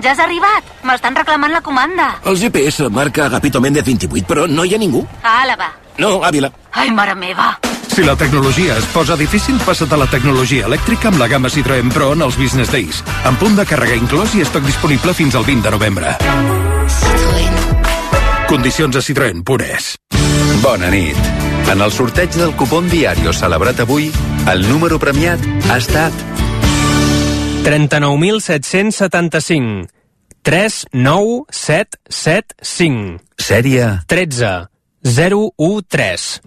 Ja has arribat! M'estan reclamant la comanda. El G P S marca Agapito Méndez vint-i-vuit, però no hi ha ningú. A Àlava. No, Àvila. Ai, mare meva. Si la tecnologia es posa difícil, passa't a la tecnologia elèctrica amb la gamma Citroën Pro en els Business Days. Amb punt de càrrega inclòs i estoc disponible fins al vint de novembre. Citroën. Condicions a citroen punt es. Bona nit. En el sorteig del cupón Diario celebrat avui, el número premiat ha estat trenta-nou mil set-cents setanta-cinc. tres nou set set cinc. Sèrie tretze zero u tres.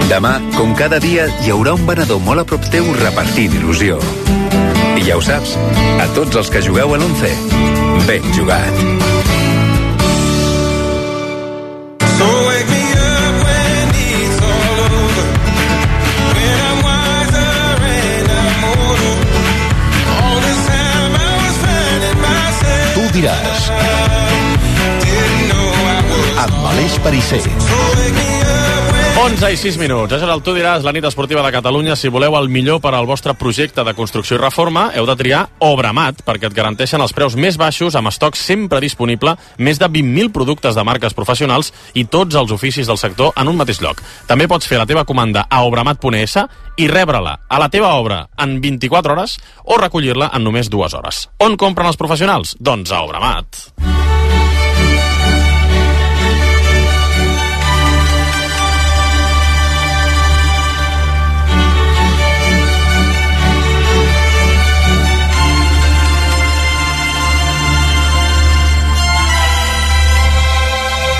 Demà, com cada dia, hi haurà un venedor molt a prop teu repartint il·lusió. I ja ho saps, a tots els que jugueu a l'once, ben jugat. So wake me up when it's all over, when I'm wiser and I'm older. All this time I was finding myself. Tu diràs, Didn't know I was. amb Aleix Perisser. onze i sis minuts. Això és el Tu diràs, la nit esportiva de Catalunya. Si voleu el millor per al vostre projecte de construcció i reforma, heu de triar Obramat, perquè et garanteixen els preus més baixos, amb estoc sempre disponible, més de vint mil productes de marques professionals i tots els oficis del sector en un mateix lloc. També pots fer la teva comanda a obramat punt es i rebre-la a la teva obra en vint-i-quatre hores o recollir-la en només dues hores. On compren els professionals? Doncs a Obramat.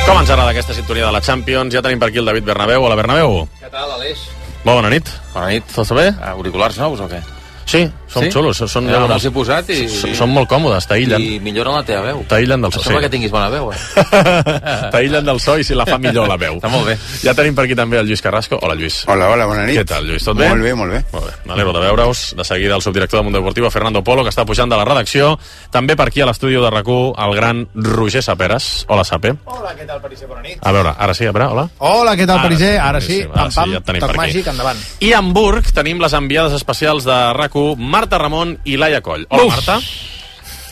Com ens agrada aquesta sintonia de la Champions? Ja tenim per aquí el David Bernabéu. Hola, Bernabéu. Què tal, Aleix? Molt bona nit. Bona nit. Tot bé? Auriculars nous o què? Sí, són Sí? xulos. Són, Ja me'ls he posat i- s- són molt còmodes, t'aïllen. I milloren la teva veu. T'aïllen del so. Això perquè tinguis bona veu, eh? T'aïllen del so i si la fa millor la veu. Està molt bé. Ja tenim per aquí també el Lluís Carrasco. Hola, Lluís. Hola, hola, bona nit. Què tal, Lluís? Tot bé? Molt bé, molt bé. Molt bé. M'alegro de veure-us. De seguida el subdirector de Mundo Deportivo, Fernando Polo, que està pujant de la redacció. També per aquí a l'estudi de RAC u, el gran Roger Saperes. Hola, Sape. Hola, què tal, Perisser? Bona nit. A veure, ara sí, a veure, hola. Hola, què tal, Perisser? Ara sí, boníssim, pam, pam, ja et tenim toc per aquí. màgic, endavant. I a Hamburg tenim les enviades especials de RAC u, Marta Ramon i Laia Coll. Hola, Uf. Marta.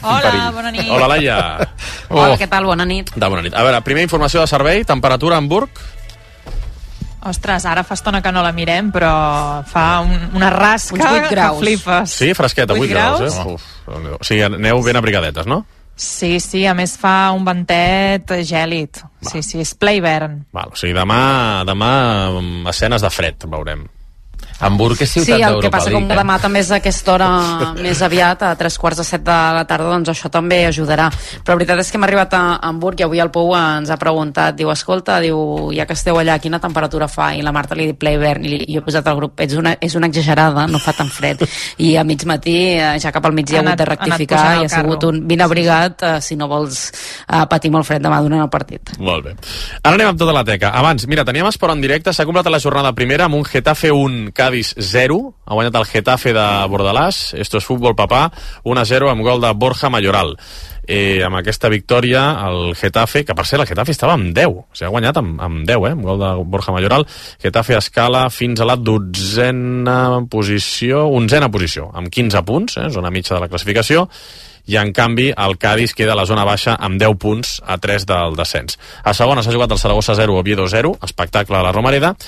Hola, bona nit. Hola, Laia. Hola, què tal? Bona nit. De bona nit. A veure, primera informació de servei, temperatura a Hamburg. Ostres, ara fa estona que no la mirem, però fa un, una rasca Uns vuit graus. que flipes. Sí, fresqueta, vuit Vuit graus, graus? eh? Uf, o sigui, aneu ben abrigadetes, no? Sí, sí, a més fa un ventet gèlid. Sí, sí, és ple hivern. Val, o sigui, demà, demà mm, escenes de fred, veurem. Hamburg és ciutat Sí, el que d'Europa passa com League, eh? demà també és a aquesta hora més aviat, a tres quarts de set de la tarda, doncs això també ajudarà. Però la veritat és que hem arribat a Hamburg i avui el Pou ens ha preguntat, diu, escolta, diu, ja que esteu allà, quina temperatura fa? I la Marta li diu ple hivern, i jo he posat al grup, ets una, és una exagerada, no fa tan fred. I a mig matí, eh, ja cap al migdia, ha hagut de rectificar i ha sigut un vine abrigat eh, si no vols eh, patir molt fred demà durant el partit. Molt bé. Ara anem amb tota la teca. Abans, mira, teníem esport en directe, s'ha completat la jornada primera amb un Getafe un, Cádiz Cádiz zero, ha guanyat el Getafe de Bordalàs, esto es futbol papà, un a zero amb gol de Borja Mayoral. Eh, amb aquesta victòria el Getafe, que per cert el Getafe estava amb deu, o sigui, ha guanyat amb, amb deu, eh, amb gol de Borja Mayoral. Getafe escala fins a la dotzena posició, onzena posició, amb quinze punts, eh, zona mitja de la classificació, i en canvi el Cádiz queda a la zona baixa amb deu punts a tres del descens. A segona s'ha jugat el Saragossa zero, Oviedo zero, espectacle a la Romareda,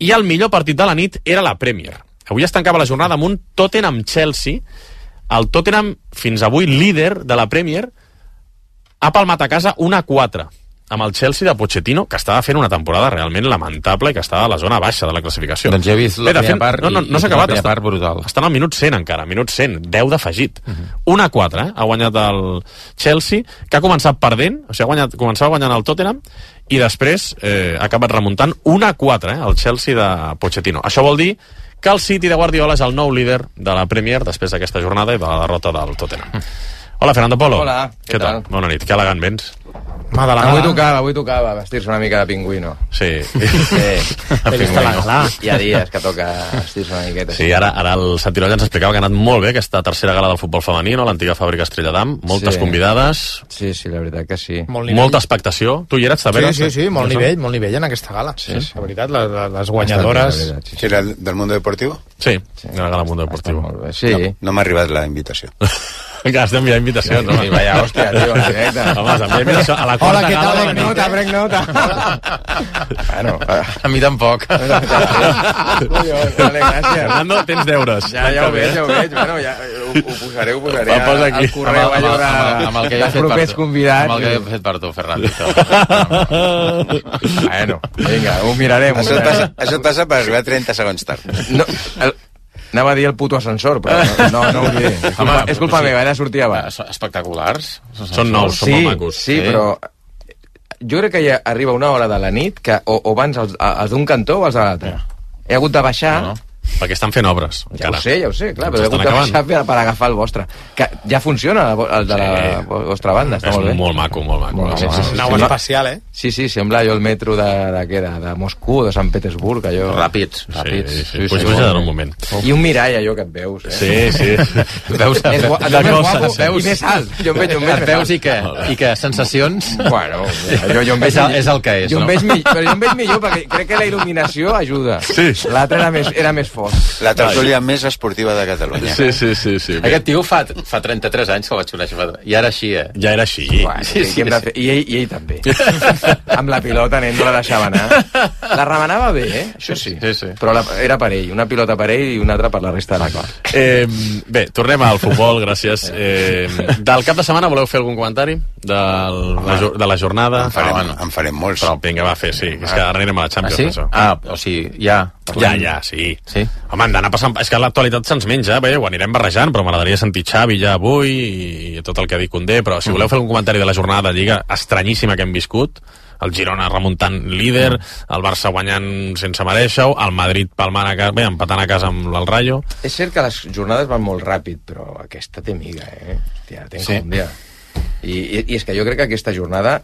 i el millor partit de la nit era la Premier. Avui es tancava la jornada amb un Tottenham-Chelsea. El Tottenham, fins avui líder de la Premier, ha palmat a casa un a quatre amb el Chelsea de Pochettino, que estava fent una temporada realment lamentable i que estava a la zona baixa de la classificació. Doncs ja he vist la primera part, no, no, no i, s'ha i acabat, la primera està, part brutal. Estan al minut cent encara, minut cent, deu d'afegit. Uh -huh. un a quatre, eh? Ha guanyat el Chelsea, que ha començat perdent, o sigui, ha guanyat, començava guanyant el Tottenham, i després eh, ha acabat remuntant un a quatre, eh? El Chelsea de Pochettino. Això vol dir que el City de Guardiola és el nou líder de la Premier després d'aquesta jornada i de la derrota del Tottenham. Hola, Fernando Polo. Hola, què, què tal? tal? Bona nit, que elegant vens. Ma de la avui tocava, avui tocava vestir-se una mica de pingüino. Sí. Sí, de pingüino. Hi ha dies que toca vestir-se una miqueta. Sí, ara, ara el Santi Nolla ens explicava que ha anat molt bé aquesta tercera gala del futbol femení, no? L'antiga fàbrica Estrella d'Am, moltes sí. convidades. Sí, sí, la veritat que sí. Molta expectació. Tu hi eres, també? Sí, sí, sí, molt nivell, molt nivell en aquesta gala. Sí, sí. La veritat, les, les guanyadores... Sí, sí. Era del Mundo Deportivo? Sí, sí. Era la gala del Mundo Deportivo. Sí. No, no m'ha arribat la invitació. Que has d'enviar invitacions, sí, sí, vaya, hòstia, tio, en directe. Home, s'envia invitació a la quarta Hola, què tal? gala. Prenc nota, prenc nota. Bueno, a mi tampoc. Collons, vale, gràcies. Fernando, tens deures. Ja, ja ho veig, ja ho veig. Bueno, ja ho, ho posaré, ho posaré. Va, posa aquí. Al correu, amb, allò amb, de... amb, amb el que he fet per tu. Convidats. Amb el que he fet per tu, Fernando. Bueno, vinga, ho mirarem. Això et passa, això et passa per arribar trenta segons tard. No, el, anava a dir el puto ascensor, però no, no ho diré. És culpa, és culpa meva, era sortir abans. Espectaculars. Són nous, són sí, molt macos. Sí, sí, però jo crec que ja arriba una hora de la nit que o, o van els, els d'un cantó o els de l'altre. He hagut de baixar... No, no. Perquè estan fent obres. Ja encara. Ho sé, ja ho sé, clar, doncs però he hagut de acabant. baixar per, per agafar el vostre. Que ja funciona el de la sí. vostra banda, està és molt bé. molt maco, molt maco. Molt, sí, sí, sí, Nau sí. espacial, eh? Sí, sí, sembla allò el metro de, de, de, de, de Moscou, de Sant Petersburg, allò... Ràpids. Ràpids. Sí, sí, sí. Pues puja en un moment. I un mirall, allò que et veus, eh? Sí, sí. Veus, més, veus, més guapo veus, i més alt. Jo em veig, jo em veig et veus i què? I què? Sensacions? Bueno, jo, jo em veig... És el, és el que és, jo no? Em veig millor, però jo em veig millor perquè crec que la il·luminació ajuda. Sí. L'altre era més, era més fort. La tertúlia més esportiva de Catalunya. Sí, sí, sí. sí. Aquest tio fa, fa trenta-tres anys que el vaig conèixer. Fa... I ara així, eh? Ja era així. Bueno, sí, sí, sí. Fer... I, ell, I ell també. Amb la pilota, nen, no la deixava anar. La remenava bé, eh? Això sí. sí, sí. Però la, era per ell. Una pilota per ell i una altra per la resta de la cor. Eh, bé, tornem al futbol, gràcies. Eh, del cap de setmana voleu fer algun comentari? De la, de la jornada? En farem, ah, bueno. en farem molts. Però vinga, va, fer, sí. És que ara anirem a la Champions. Ah, sí? Això. Ah, o sigui, ja... Ja, ja, sí. sí. Home, hem d'anar passant... És que l'actualitat se'ns menja, bé, ho anirem barrejant, però m'agradaria sentir Xavi ja avui i tot el que ha dit Condé, però si voleu fer un comentari de la jornada de Lliga estranyíssima que hem viscut, el Girona remuntant líder, el Barça guanyant sense merèixer-ho, el Madrid palmant a casa, bé, empatant a casa amb el Rayo... És cert que les jornades van molt ràpid, però aquesta té miga, eh? Hòstia, té sí. com dia. I, i, I és que jo crec que aquesta jornada...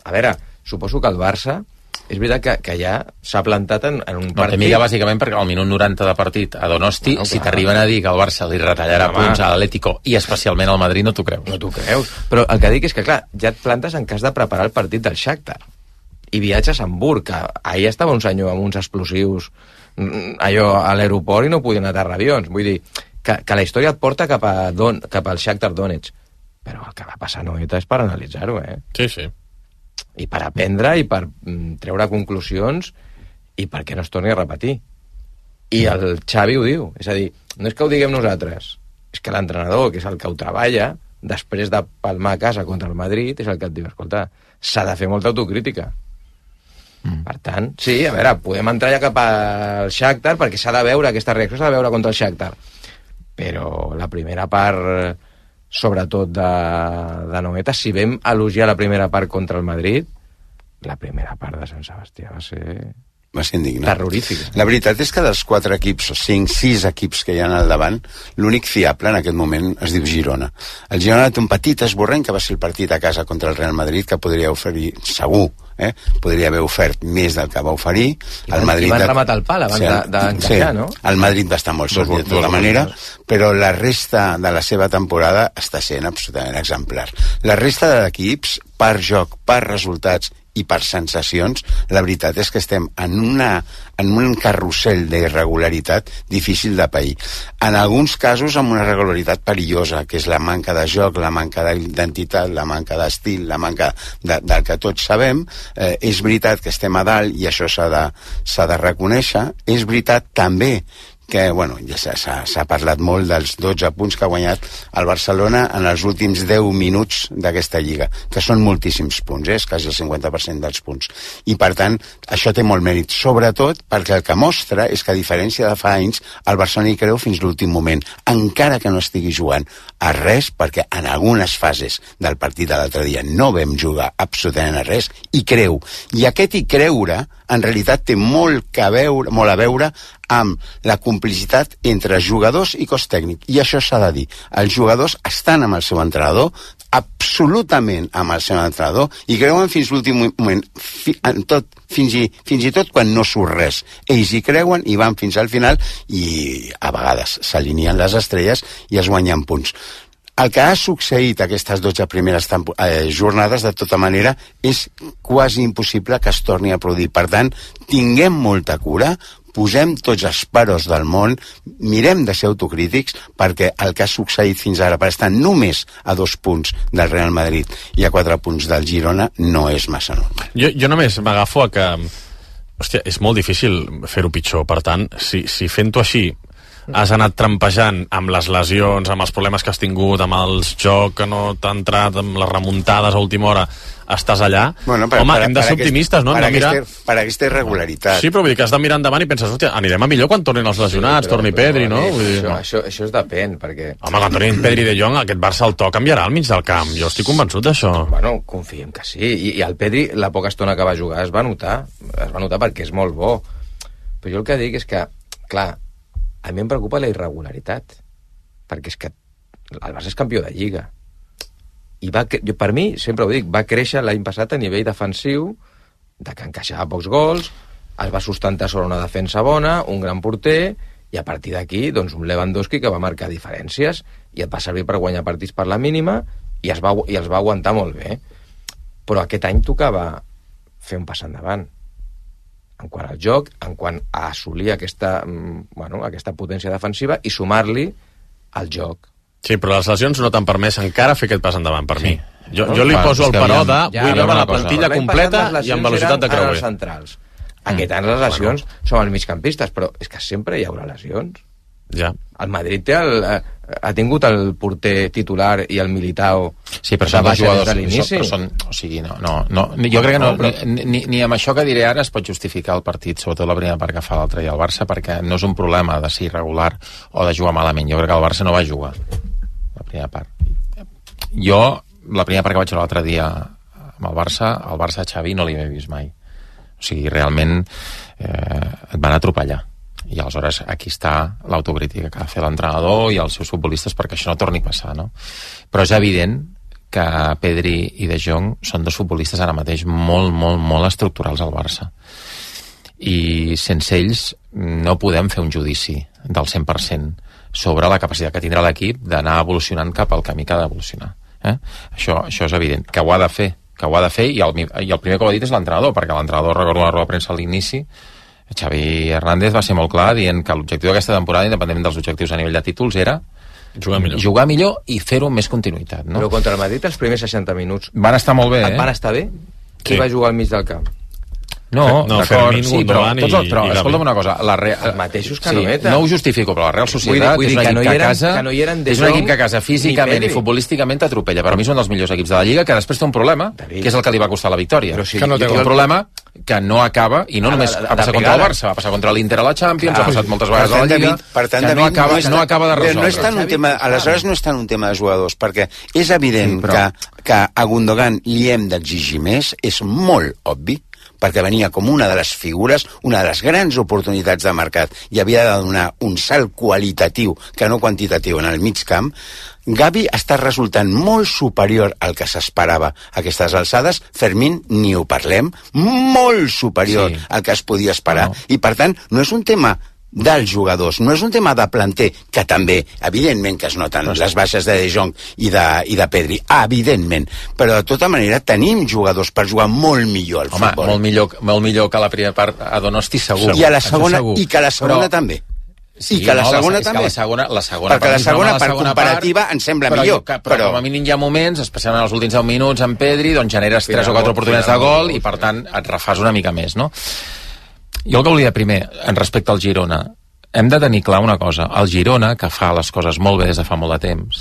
A veure, suposo que el Barça... És veritat que, que ja s'ha plantat en, en un no, partit... Mica, bàsicament, perquè al minut noranta de partit a Donosti, no, si t'arriben a dir que el Barça li retallarà no, punts a l'Atlético i especialment al Madrid, no t'ho creus. No t'ho creus. Però el que dic és que, clar, ja et plantes en cas de preparar el partit del Shakhtar. I viatges a Hamburg, que ahir estava un senyor amb uns explosius allò a l'aeroport i no podien aterrar avions. Vull dir, que, que la història et porta cap, a Don, cap al Shakhtar Donetsk. Però el que va passar a Noeta és per analitzar-ho, eh? Sí, sí. I per aprendre i per mm, treure conclusions i perquè no es torni a repetir. I el Xavi ho diu, és a dir, no és que ho diguem nosaltres, és que l'entrenador, que és el que ho treballa, després de palmar a casa contra el Madrid, és el que et diu, escolta, s'ha de fer molta autocrítica. Mm. Per tant, sí, a veure, podem entrar ja cap al Shakhtar perquè s'ha de veure, aquesta reacció s'ha de veure contra el Shakhtar. Però la primera part... sobretot de, de Noeta, si vam elogiar la primera part contra el Madrid, la primera part de Sant Sebastià va ser va ser indignant. Terrorífica. La veritat és que dels quatre equips, o cinc, sis equips que hi ha al davant, l'únic fiable en aquest moment es diu Girona. El Girona té un petit esborrany que va ser el partit a casa contra el Real Madrid, que podria oferir, segur, eh? podria haver ofert més del que va oferir. I van, Madrid i van rematar el pal abans sí, d'encaixar, sí, no? El Madrid va estar molt sòlid de tota manera, però la resta de la seva temporada està sent absolutament exemplar. La resta d'equips, per joc, per resultats i per sensacions, la veritat és que estem en, una, en un carrusel d'irregularitat difícil de pair. En alguns casos amb una irregularitat perillosa, que és la manca de joc, la manca d'identitat, la manca d'estil, la manca de, del que tots sabem. Eh, és veritat que estem a dalt i això s'ha de, s'ha de reconèixer. És veritat també que, bueno, ja s'ha parlat molt dels dotze punts que ha guanyat el Barcelona en els últims deu minuts d'aquesta lliga, que són moltíssims punts, eh? És quasi el cinquanta per cent dels punts. I, per tant, això té molt mèrit, sobretot perquè el que mostra és que, a diferència de fa anys, el Barcelona hi creu fins l'últim moment, encara que no estigui jugant a res, perquè en algunes fases del partit de l'altre dia no vam jugar absolutament a res, i creu. I aquest hi creure, en realitat, té molt, que veure, molt a veure amb la complicitat entre jugadors i cos tècnic. I això s'ha de dir. Els jugadors estan amb el seu entrenador, absolutament amb el seu entrenador, i creuen fins l'últim moment, fi, en tot, fins, i, fins i tot quan no surt res. Ells hi creuen i van fins al final, i a vegades s'alineen les estrelles i es guanyen punts. El que ha succeït aquestes dotze primeres eh, jornades, de tota manera, és quasi impossible que es torni a produir. Per tant, tinguem molta cura, posem tots els paros del món, mirem de ser autocrítics, perquè el que ha succeït fins ara, per estar només a dos punts del Real Madrid i a quatre punts del Girona, no és massa normal. Jo, jo només m'agafo a que... Hòstia, és molt difícil fer-ho pitjor. Per tant, si, si fent-ho així has anat trampejant amb les lesions, amb els problemes que has tingut, amb els jocs que no t'ha entrat, amb les remuntades a última hora, estàs allà. Bueno, per, home, per, hem de ser aquest, optimistes, no? Per, Hem de mirar... aquesta, per aquesta irregularitat. Sí, però vull dir que has de mirar endavant i penses, hòstia, anirem a millor quan tornin els lesionats, sí, però, torni Pedri, no? Vull dir, això, no? Això, això es depèn, perquè... Home, quan tornin Pedri de Jong, aquest Barça el to canviarà al mig del camp. Jo estic convençut d'això. Bueno, confiem que sí. I, I el Pedri, la poca estona que va jugar, es va notar. Es va notar perquè és molt bo. Però jo el que dic és que, clar, a mi em preocupa la irregularitat, perquè és que el Barça és campió de Lliga. I va, jo, per mi, sempre ho dic, va créixer l'any passat a nivell defensiu, de que encaixava pocs gols, es va sustentar sobre una defensa bona, un gran porter, i a partir d'aquí, doncs, un Lewandowski que va marcar diferències, i et va servir per guanyar partits per la mínima, i, es va, i els va aguantar molt bé. Però aquest any tocava fer un pas endavant. En quant al joc, en quant a assolir aquesta, bueno, aquesta potència defensiva i sumar-li al joc. Sí, però les lesions no t'han permès encara fer aquest pas endavant, per sí. mi. Jo, no, jo li clar, poso el paró de... Ja, vull veure la cosa. plantilla completa i amb velocitat de creuer. Centrals. Aquest any les lesions bueno. són els migcampistes, però és que sempre hi haurà lesions. Ja. El Madrid té el, ha tingut el porter titular i el Militao sí, però són dos jugadors de l'inici. Però són, o sigui, no, no, no, jo crec que no, no ni, ni, ni amb això que diré ara es pot justificar el partit, sobretot la primera part que fa l'altre i el Barça, perquè no és un problema de ser irregular o de jugar malament. Jo crec que el Barça no va jugar la primera part. Jo, la primera part que vaig jugar l'altre dia amb el Barça, el Barça Xavi no l'hi havia vist mai. O sigui, realment eh, et van atropellar. I aleshores aquí està l'autocrítica que ha de fer l'entrenador i els seus futbolistes perquè això no torni a passar, no? Però és evident que Pedri i De Jong són dos futbolistes ara mateix molt, molt, molt estructurals al Barça. I sense ells no podem fer un judici del cent per cent sobre la capacitat que tindrà l'equip d'anar evolucionant cap al camí que ha d'evolucionar. Eh? Això, això és evident, que ho ha de fer, que ho ha de fer, i el, i el primer que ho ha dit és l'entrenador, perquè l'entrenador, recordo la roda de premsa a l'inici, Xavi Hernández va ser molt clar dient que l'objectiu d'aquesta temporada, independentment dels objectius a nivell de títols, era jugar millor, jugar millor i fer-ho amb més continuïtat. No? Però contra el Madrid els primers seixanta minuts van estar molt bé, eh? Van estar bé? Qui sí. va jugar al mig del camp? No, no d'acord, sí, però, tots el, però i, i escolta'm una cosa, la Real, els mateixos que sí, no no ho justifico, però la Real Societat vull dir, vull dir, és un equip que, no a casa que no eren és un equip que a casa físicament i futbolísticament t'atropella. Per mi és un dels millors equips de la Lliga, que després té un problema, que és el que li va costar la victòria. Però sí, que no té un problema que no acaba, i no només va passar contra el Barça, va passar contra l'Inter a la Champions, ha passat moltes vegades a la Lliga, que no acaba, no acaba de resoldre. No és tant un tema, aleshores no és tant un tema de jugadors, perquè és evident que, que a Gundogan li hem d'exigir més, és molt obvi, perquè venia com una de les figures, una de les grans oportunitats de mercat i havia de donar un salt qualitatiu que no quantitatiu en el mig camp. Gavi està resultant molt superior al que s'esperava a aquestes alçades. Fermín, ni ho parlem, molt superior sí. al que es podia esperar. No. I, per tant, no és un tema dels jugadors, no és un tema de planter, que també, evidentment que es noten no, les baixes de De Jong i de, i de Pedri, evidentment, però de tota manera tenim jugadors per jugar molt millor al Home, futbol. Molt millor, molt millor que la primera part a Donosti, segur. I a la segona, i que a la segona però... també. Sí, I que la segona la, també. Que la segona, la segona perquè la segona, per segona comparativa, part, ens sembla però, millor. Jo, però, però com a mínim hi ha moments, especialment els últims deu minuts en Pedri, doncs generes tres o quatre oportunitats de gol i per tant et refàs una mica més, no? Jo el que volia primer, en respecte al Girona, hem de tenir clar una cosa. El Girona, que fa les coses molt bé des de fa molt de temps,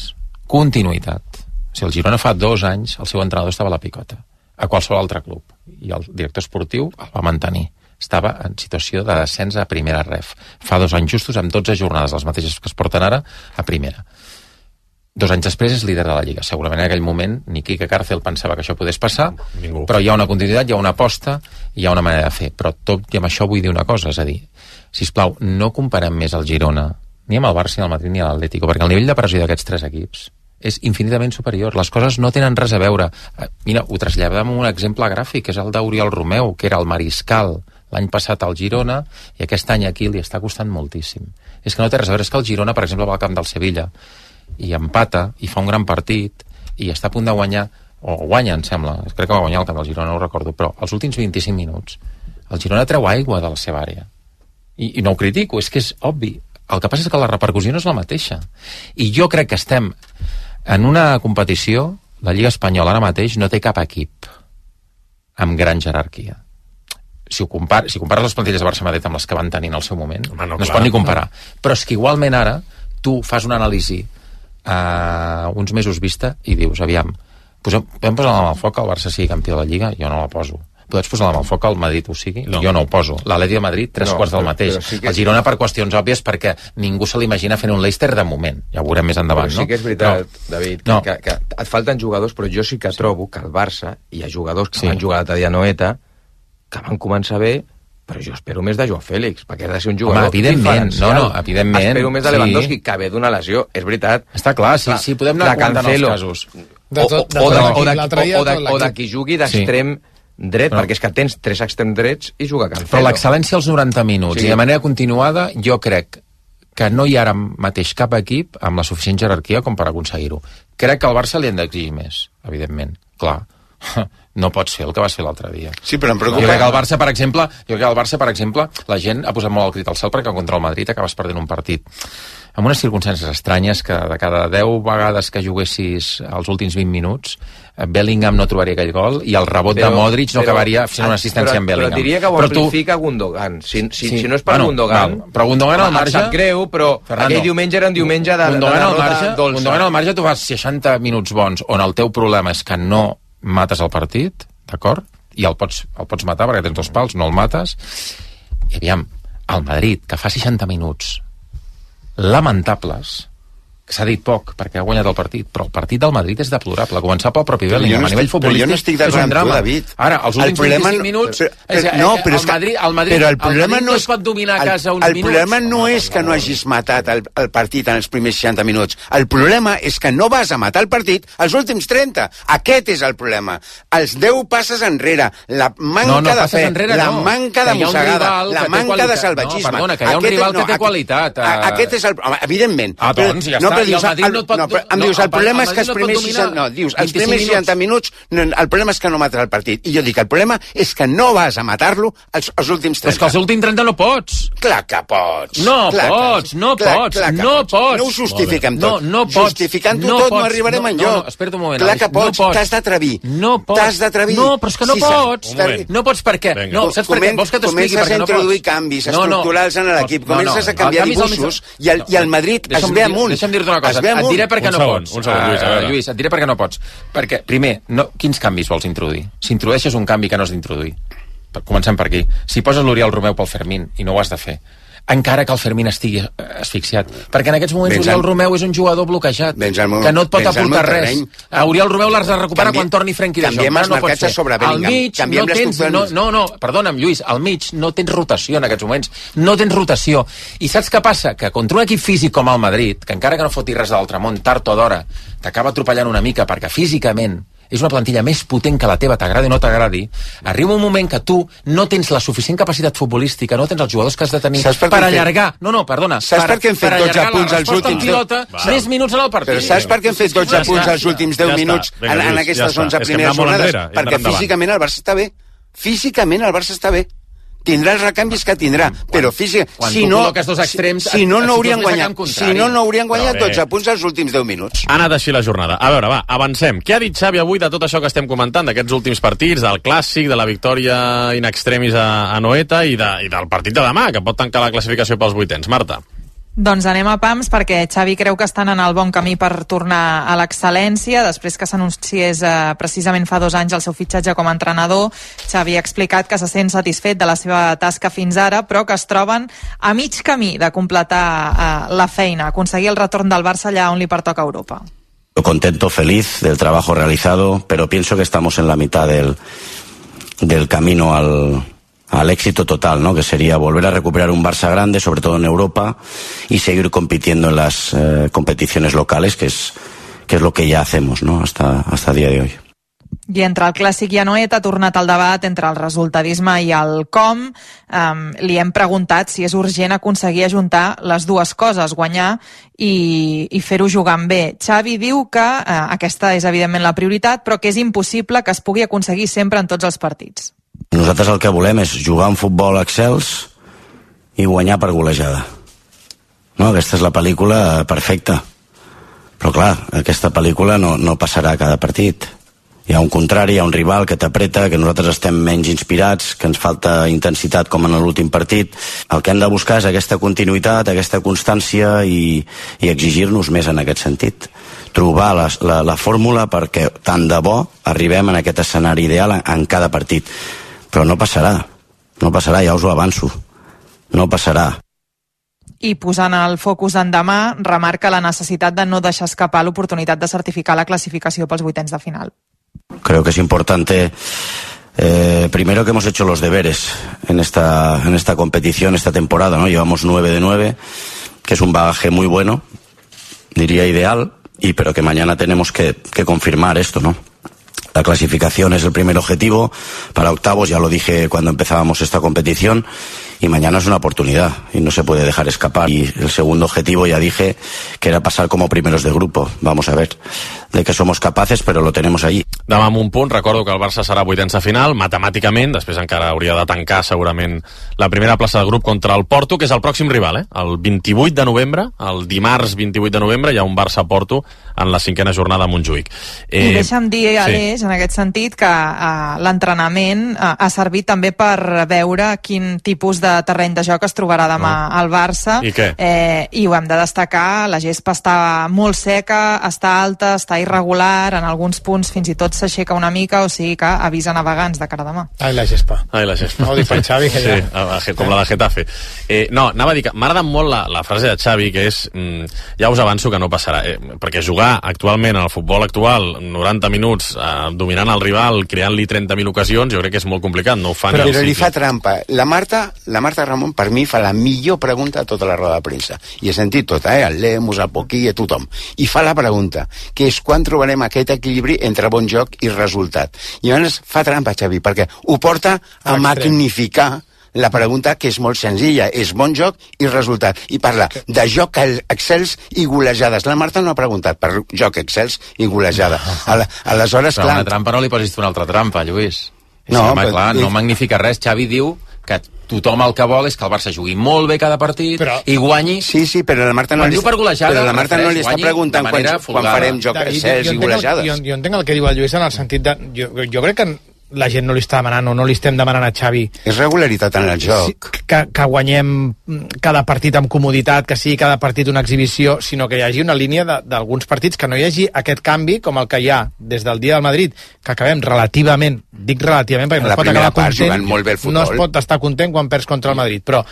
continuïtat. O sigui, el Girona fa dos anys, el seu entrenador estava a la picota, a qualsevol altre club. I el director esportiu el va mantenir. Estava en situació de descens a primera ref. Fa dos anys justos, amb dotze jornades, les mateixes que es porten ara, a primera. Dos anys després és líder de la Lliga. Segurament en aquell moment ni Quique Cárcel pensava que això podés passar, Ningú. Però hi ha una continuïtat, hi ha una aposta, hi ha una manera de fer. Però tot i amb això vull dir una cosa, és a dir, sisplau, no comparem més el Girona, ni amb el Barça, ni el Madrid, ni amb l'Atlético, perquè el nivell de pressió d'aquests tres equips és infinitament superior. Les coses no tenen res a veure. Mira, ho traslladem amb un exemple gràfic, és el d'Oriol Romeu, que era el mariscal l'any passat al Girona, i aquest any aquí li està costant moltíssim. És que no té res a veure, és que el Girona, per exemple, va al camp del Sevilla, i empata, i fa un gran partit, i està a punt de guanyar, o guanya, em sembla, crec que va guanyar el camp del Girona, no ho recordo, però els últims vint-i-cinc minuts, el Girona treu aigua de la seva àrea. I, i no ho critico, és que és obvi. El que passa és que la repercussió no és la mateixa. I jo crec que estem en una competició, la Lliga Espanyola ara mateix no té cap equip amb gran jerarquia. Si, ho compar si compares les plantilles de Barça-Madrid amb les que van tenir en el seu moment, Home, no, no es pot ni comparar. No. Però és que igualment ara tu fas una anàlisi a uh, uns mesos vista i dius, aviam, posem, podem posar la mà al foc que el Barça sigui campió de la Lliga? Jo no la poso. Pots posar la mà al foc que el Madrid ho sigui? No. Jo no ho poso. L'Atleti de Madrid, tres no, quarts del mateix. Sí que... El Girona per qüestions òbvies perquè ningú se l'imagina fent un Leicester de moment. Ja ho veurem més endavant, però sí no? que és veritat, però... David, que, no. que, que et falten jugadors, però jo sí que trobo que el Barça, hi ha jugadors que sí. van jugar l'altre dia a Noeta, que van començar bé, però jo espero més de Joao Fèlix, perquè ha de ser un jugador Home, evidentment, no, no, evidentment. Espero més de Lewandowski, sí. que ve d'una lesió, és veritat. Està clar, sí, sí, podem anar comentant els casos. De tot, o, o, de, o, de, o, de, o de qui jugui d'extrem sí. dret, però, perquè és que tens tres extrems drets i juga Cancelo. Però l'excel·lència als noranta minuts, sí. i de manera continuada, jo crec que no hi ha ara mateix cap equip amb la suficient jerarquia com per aconseguir-ho. Crec que al Barça li han d'exigir més, evidentment, clar. No pots fer el que vas fer l'altre dia. Sí, però em preocupa... Jo crec que el Barça, per exemple, jo crec que el Barça, per exemple, la gent ha posat molt el crit al cel perquè contra el Madrid acabes perdent un partit amb unes circumstàncies estranyes que de cada deu vegades que juguessis els últims vint minuts, Bellingham no trobaria aquell gol i el rebot però, de Modric no però, acabaria fent una assistència però, en Bellingham. Però diria que ho però amplifica tu... Gundogan. Si, si, sí. si no és per bueno, Gundogan... Val. Però Gundogan al marge... Em sap greu, però Fernando, aquell diumenge era un diumenge de, Gundogan de al marge, dolça. Gundogan al marge tu fas seixanta minuts bons on el teu problema és que no mates el partit, d'acord? I el pots, el pots matar perquè tens dos pals, no el mates. I aviam, el Madrid, que fa seixanta minuts lamentables, que s'ha dit poc perquè ha guanyat el partit, però el partit del Madrid és deplorable, començar pel propi Bellingham, no a nivell futbolístic no estic és un drama. David. Ara, els últims vint-i-cinc minuts però, però, però, no, però el, Madrid, el Madrid, però el, problema el Madrid no, és, no es pot dominar a casa uns el, el minuts. El problema no és que no hagis matat el, el partit en els primers seixanta minuts, el problema és que no vas a matar el partit als últims trenta. Aquest és el problema. Els deu passes enrere, la manca no, no, de fe, enrere, la no. manca de mossegada, la manca de salvatgisme. No, perdona, que hi ha un rival que té qualitat. Aquest és el... Evidentment. Ah, doncs ja està. I el Madrid no et pot... No, però em dius, el problema és que els primers seixanta... No, dius, els primers seixanta minuts, no, el problema és que no mates el partit. I jo dic, el problema és que no vas a matar-lo els, els últims trenta. Però és que els últims trenta no pots. Clar que pots. No clar pots, no clar, pots, clar no pots. pots. No ho justifiquem tot. No, no pots. Justificant-ho no tot pots. no arribarem no, enlloc. No, no, espera't un moment. Clar que pots, no t'has d'atrevir. No pots. T'has d'atrevir. No, però és que no sí, pots. No pots perquè... No, saps per què? Vols que t'expliqui per què no pots? Comences a introduir canvis estructurals en l'equip, comences a canviar dibuixos i el Madrid es ve amunt. Deixa'm dir-te una cosa, et diré per què no pots. Un segon, Lluís, uh, Lluís, et diré per què no pots. Perquè, primer, no, quins canvis vols introduir? Si introdueixes un canvi que no has d'introduir. Comencem per aquí. Si poses l'Oriol Romeu pel Fermín, i no ho has de fer, encara que el Fermín estigui asfixiat. Perquè en aquests moments Vens Oriol al- Romeu és un jugador bloquejat, meu- que no et pot vens al meu aportar res. terreny. A Oriol Romeu l'has de recuperar Canvi- quan torni Frenkie de Jong. canviem els No, no pot marcatges ser. sobre Al Bellingham. mig Canviem no les tens... No, estructures. no, no, perdona'm, Lluís, al mig no tens rotació en aquests moments. No tens rotació. I saps què passa? Que contra un equip físic com el Madrid, que encara que no foti res de l'altramont, tard o d'hora, t'acaba atropellant una mica perquè físicament és una plantilla més potent que la teva, t'agradi o no t'agradi, arriba un moment que tu no tens la suficient capacitat futbolística, no tens els jugadors que has de tenir Saps per què per hem fet- allargar... No, no, perdona. Saps per què hem fet per dotze allargar la punts als resposta en últims pilota, deu? més minuts en el partit. Però saps per què hem fet dotze Ja punts està. als últims deu Ja està. minuts Vinga, en, en Lluís, aquestes ja està. onze És que primeres hem d'anar molt jornades? enrere, hem Perquè d'anar endavant. físicament el Barça està bé. Físicament el Barça està bé. Tindrà els recanvis que tindrà, però físic... quan si tu no, col·loques dos extrems, si, si no, et no haurien situes més a guanyat, camp contrari. si no, no haurien guanyat Però bé. dotze punts als últims deu minuts. Ha anat així la jornada. A veure, va, avancem. Què ha dit Xavi avui de tot això que estem comentant, d'aquests últims partits, del Clàssic, de la victòria in extremis a, a Noeta i, de, i del partit de demà, que pot tancar la classificació pels vuitens? Marta. Doncs anem a pams perquè Xavi creu que estan en el bon camí per tornar a l'excel·lència. Després que s'anunciés eh, precisament fa dos anys el seu fitxatge com a entrenador, Xavi ha explicat que se sent satisfet de la seva tasca fins ara, però que es troben a mig camí de completar eh, la feina, aconseguir el retorn del Barça allà on li pertoca a Europa. Contento, feliz del trabajo realizado, pero pienso que estamos en la mitad del, del camino al, al éxito total, ¿no? Que sería volver a recuperar un Barça grande, sobre todo en Europa, y seguir compitiendo en las eh, competiciones locales, que es, que es lo que ya hacemos, ¿no? Hasta, hasta el día de hoy. I entre el Clàssic i Anoeta ha tornat el debat entre el resultadisme i el com. Um, li hem preguntat si és urgent aconseguir ajuntar les dues coses, guanyar i, i fer-ho jugant bé. Xavi diu que uh, aquesta és evidentment la prioritat, però que és impossible que es pugui aconseguir sempre en tots els partits. Nosaltres el que volem és jugar un futbol excels i guanyar per golejada. No, aquesta és la pel·lícula perfecta. Però clar, aquesta pel·lícula no, no passarà a cada partit. Hi ha un contrari, hi ha un rival que t'apreta, que nosaltres estem menys inspirats, que ens falta intensitat com en l'últim partit. El que hem de buscar és aquesta continuïtat, aquesta constància i, i exigir-nos més en aquest sentit. Trobar la, la, la fórmula perquè tant de bo arribem en aquest escenari ideal en, en cada partit. Però no passarà, no passarà, ja us ho avanço. No passarà. I posant el focus en demà, remarca la necessitat de no deixar escapar l'oportunitat de certificar la classificació pels vuitens de final. Creo que es importante, eh, primero que hemos hecho los deberes en esta, en esta competición, esta temporada, ¿no? Llevamos nueve de nueve, que es un bagaje muy bueno, diría ideal, y pero que mañana tenemos que, que confirmar esto, ¿no? La clasificación es el primer objetivo, para octavos ya lo dije cuando empezábamos esta competición, y mañana es una oportunidad y no se puede dejar escapar. Y el segundo objetivo ya dije que era pasar como primeros de grupo. Vamos a ver de que somos capaces, pero lo tenemos allí. Demà amb un punt, recordo que el Barça serà vuitens de final, matemàticament, després encara hauria de tancar segurament la primera plaça del grup contra el Porto, que és el pròxim rival, eh? El vint-i-vuit de novembre, el dimarts vint-i-vuit de novembre, hi ha un Barça-Porto en la cinquena jornada a Montjuïc. Eh, I deixa'm dir, Aleix, sí, en aquest sentit, que uh, l'entrenament uh, ha servit també per veure quin tipus de terreny de joc es trobarà demà oh. al Barça. I què? Eh, I ho hem de destacar, la gespa està molt seca, està alta, està irregular, en alguns punts fins i tot s'aixeca una mica, o sigui que avisa navegants de cara a demà. Ai, la gespa. Ai, la gespa. No ho dic per Xavi, que ja... Sí, com la de Getafe. Eh, no, anava a dir que m'agrada molt la, la frase de Xavi, que és, mm, ja us avanço que no passarà, eh, perquè jugar actualment en el futbol actual noranta minuts eh, dominant el rival, creant-li trenta mil ocasions, jo crec que és molt complicat, no ho fan. Però, però li fa trampa. La Marta, la Marta Ramon, per mi, fa la millor pregunta a tota la roda de premsa. I he sentit tot, eh? El Lemus, el Poquí, a tothom. I fa la pregunta, que és quan trobarem aquest equilibri entre bon joc i resultat. I llavors fa trampa, Xavi, perquè ho porta a magnificar la pregunta, que és molt senzilla, és bon joc i resultat, i parla de joc excels i golejades. La Marta no ha preguntat per joc excels i golejada. Aleshores, però clar... una trampa no li posis tu una altra trampa, Lluís. No, sí, home, però... clar, no magnifica res. Xavi diu que tothom el que vol és que el Barça jugui molt bé cada partit però... i guanyi... Sí, sí, però la Marta no, li, per golejada, però la Marta no li està preguntant quan, quan farem joc excels i golejades. Jo, jo entenc el que diu el Lluís en el sentit de... Jo, jo crec que la gent no li està demanant o no li estem demanant a Xavi... És regularitat en el joc. Sí, que, que guanyem cada partit amb comoditat, que sigui cada partit una exhibició, sinó que hi hagi una línia d'alguns partits, que no hi hagi aquest canvi com el que hi ha des del dia del Madrid, que acabem relativament, dic relativament perquè no es pot acabar content, molt bé el no es pot estar content quan perds contra el Madrid, però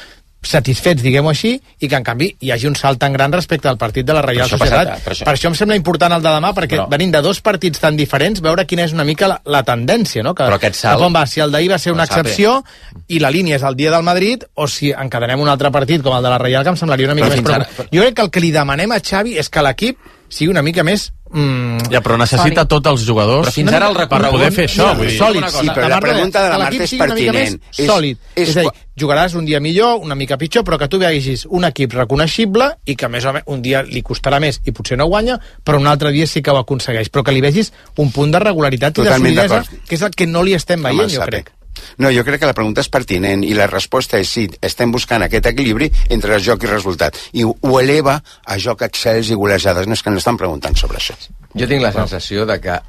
satisfets, diguem-ho així, i que en canvi hi hagi un salt tan gran respecte al partit de la Reial això Societat. passat, per això. Per això em sembla important el de demà, perquè Però- venint de dos partits tan diferents, veure quina és una mica la, la tendència, no? Que, Però aquest salt- cap on va, si el d'ahir va ser una Ho sap, excepció i la línia és el dia del Madrid, o si encadenem un altre partit com el de la Reial, que em semblaria una mica Però més fins ara- preocupant. Jo crec que el que li demanem a Xavi és que l'equip sigui una mica més... Mm, Ja, però necessita sòlid. tots els jugadors Però fins ara el per recorregut- poder fer això. Vull dir, Sòlid, Sí, però la pregunta de la que Marta l'equip és sigui una mica pertinent. més És- sòlid. és És, a dir, qua- jugaràs un dia millor, una mica pitjor, però que tu vegis un equip reconeixible i que més o menys un dia li costarà més i potser no guanya, però un altre dia sí que ho aconsegueix. Però que li vegis un punt de regularitat i de Totalment solidesa, d'acord. que és el que no li estem Home, veient, jo sape. crec. No, jo crec que la pregunta és pertinent i la resposta és sí, estem buscant aquest equilibri entre joc i resultat i ho, ho eleva a joc excels i golejades. No és que no estan preguntant sobre això. Jo tinc la sensació de que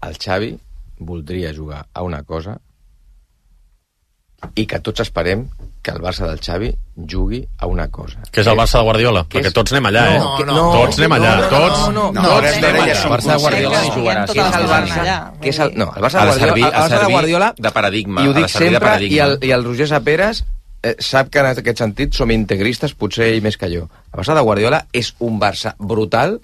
el Xavi voldria jugar a una cosa i que tots esperem que el Barça del Xavi jugui a una cosa. Que és el Barça de Guardiola, Que perquè és- tots anem allà, eh? No, no, tots anem allà, no, no, tots... no, no, No, tots hores anem d'ara ja allà. som El Barça de Guardiola conscients. no jugarà Tot Que és el el Barça Barça, allà. que és el, no, el Barça Ha de de servir- Guardiola, ha de el Barça de servir Guardiola de paradigma, i ho ha de dic servir de sempre, paradigma. i el, i el Roger Saperas eh, sap que en aquest sentit som integristes, potser ell més que jo. El Barça de Guardiola és un Barça brutal,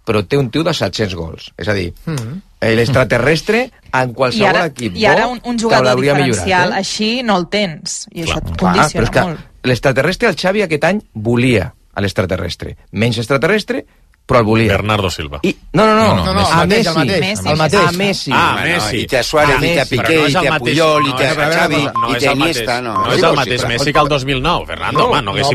però té un tio de set-cents gols. És a dir, Mm. l'extraterrestre en I qualsevol ara, equip i ara bo un, un te jugador l'hauria diferencial millorat, eh? així no el tens, i això et Clar, condiciona però és que molt. l'extraterrestre el Xavi aquest any volia a l'extraterrestre. Menys extraterrestre, però el volia. Bernardo Silva. I, no, no, no, No, no, no, a el mateix, Messi. el mateix, Messi. el mateix. A Messi. Ah, Bueno, Messi. i té a Suárez, Ah, i té a Messi, Piqué, però no i és el té a mateix- Puyol, i no té és- a Xavi, no i és té a el Iniesta. mateix. No, No és el mateix Messi que el dos mil nou, Fernando. Home, no haguéssim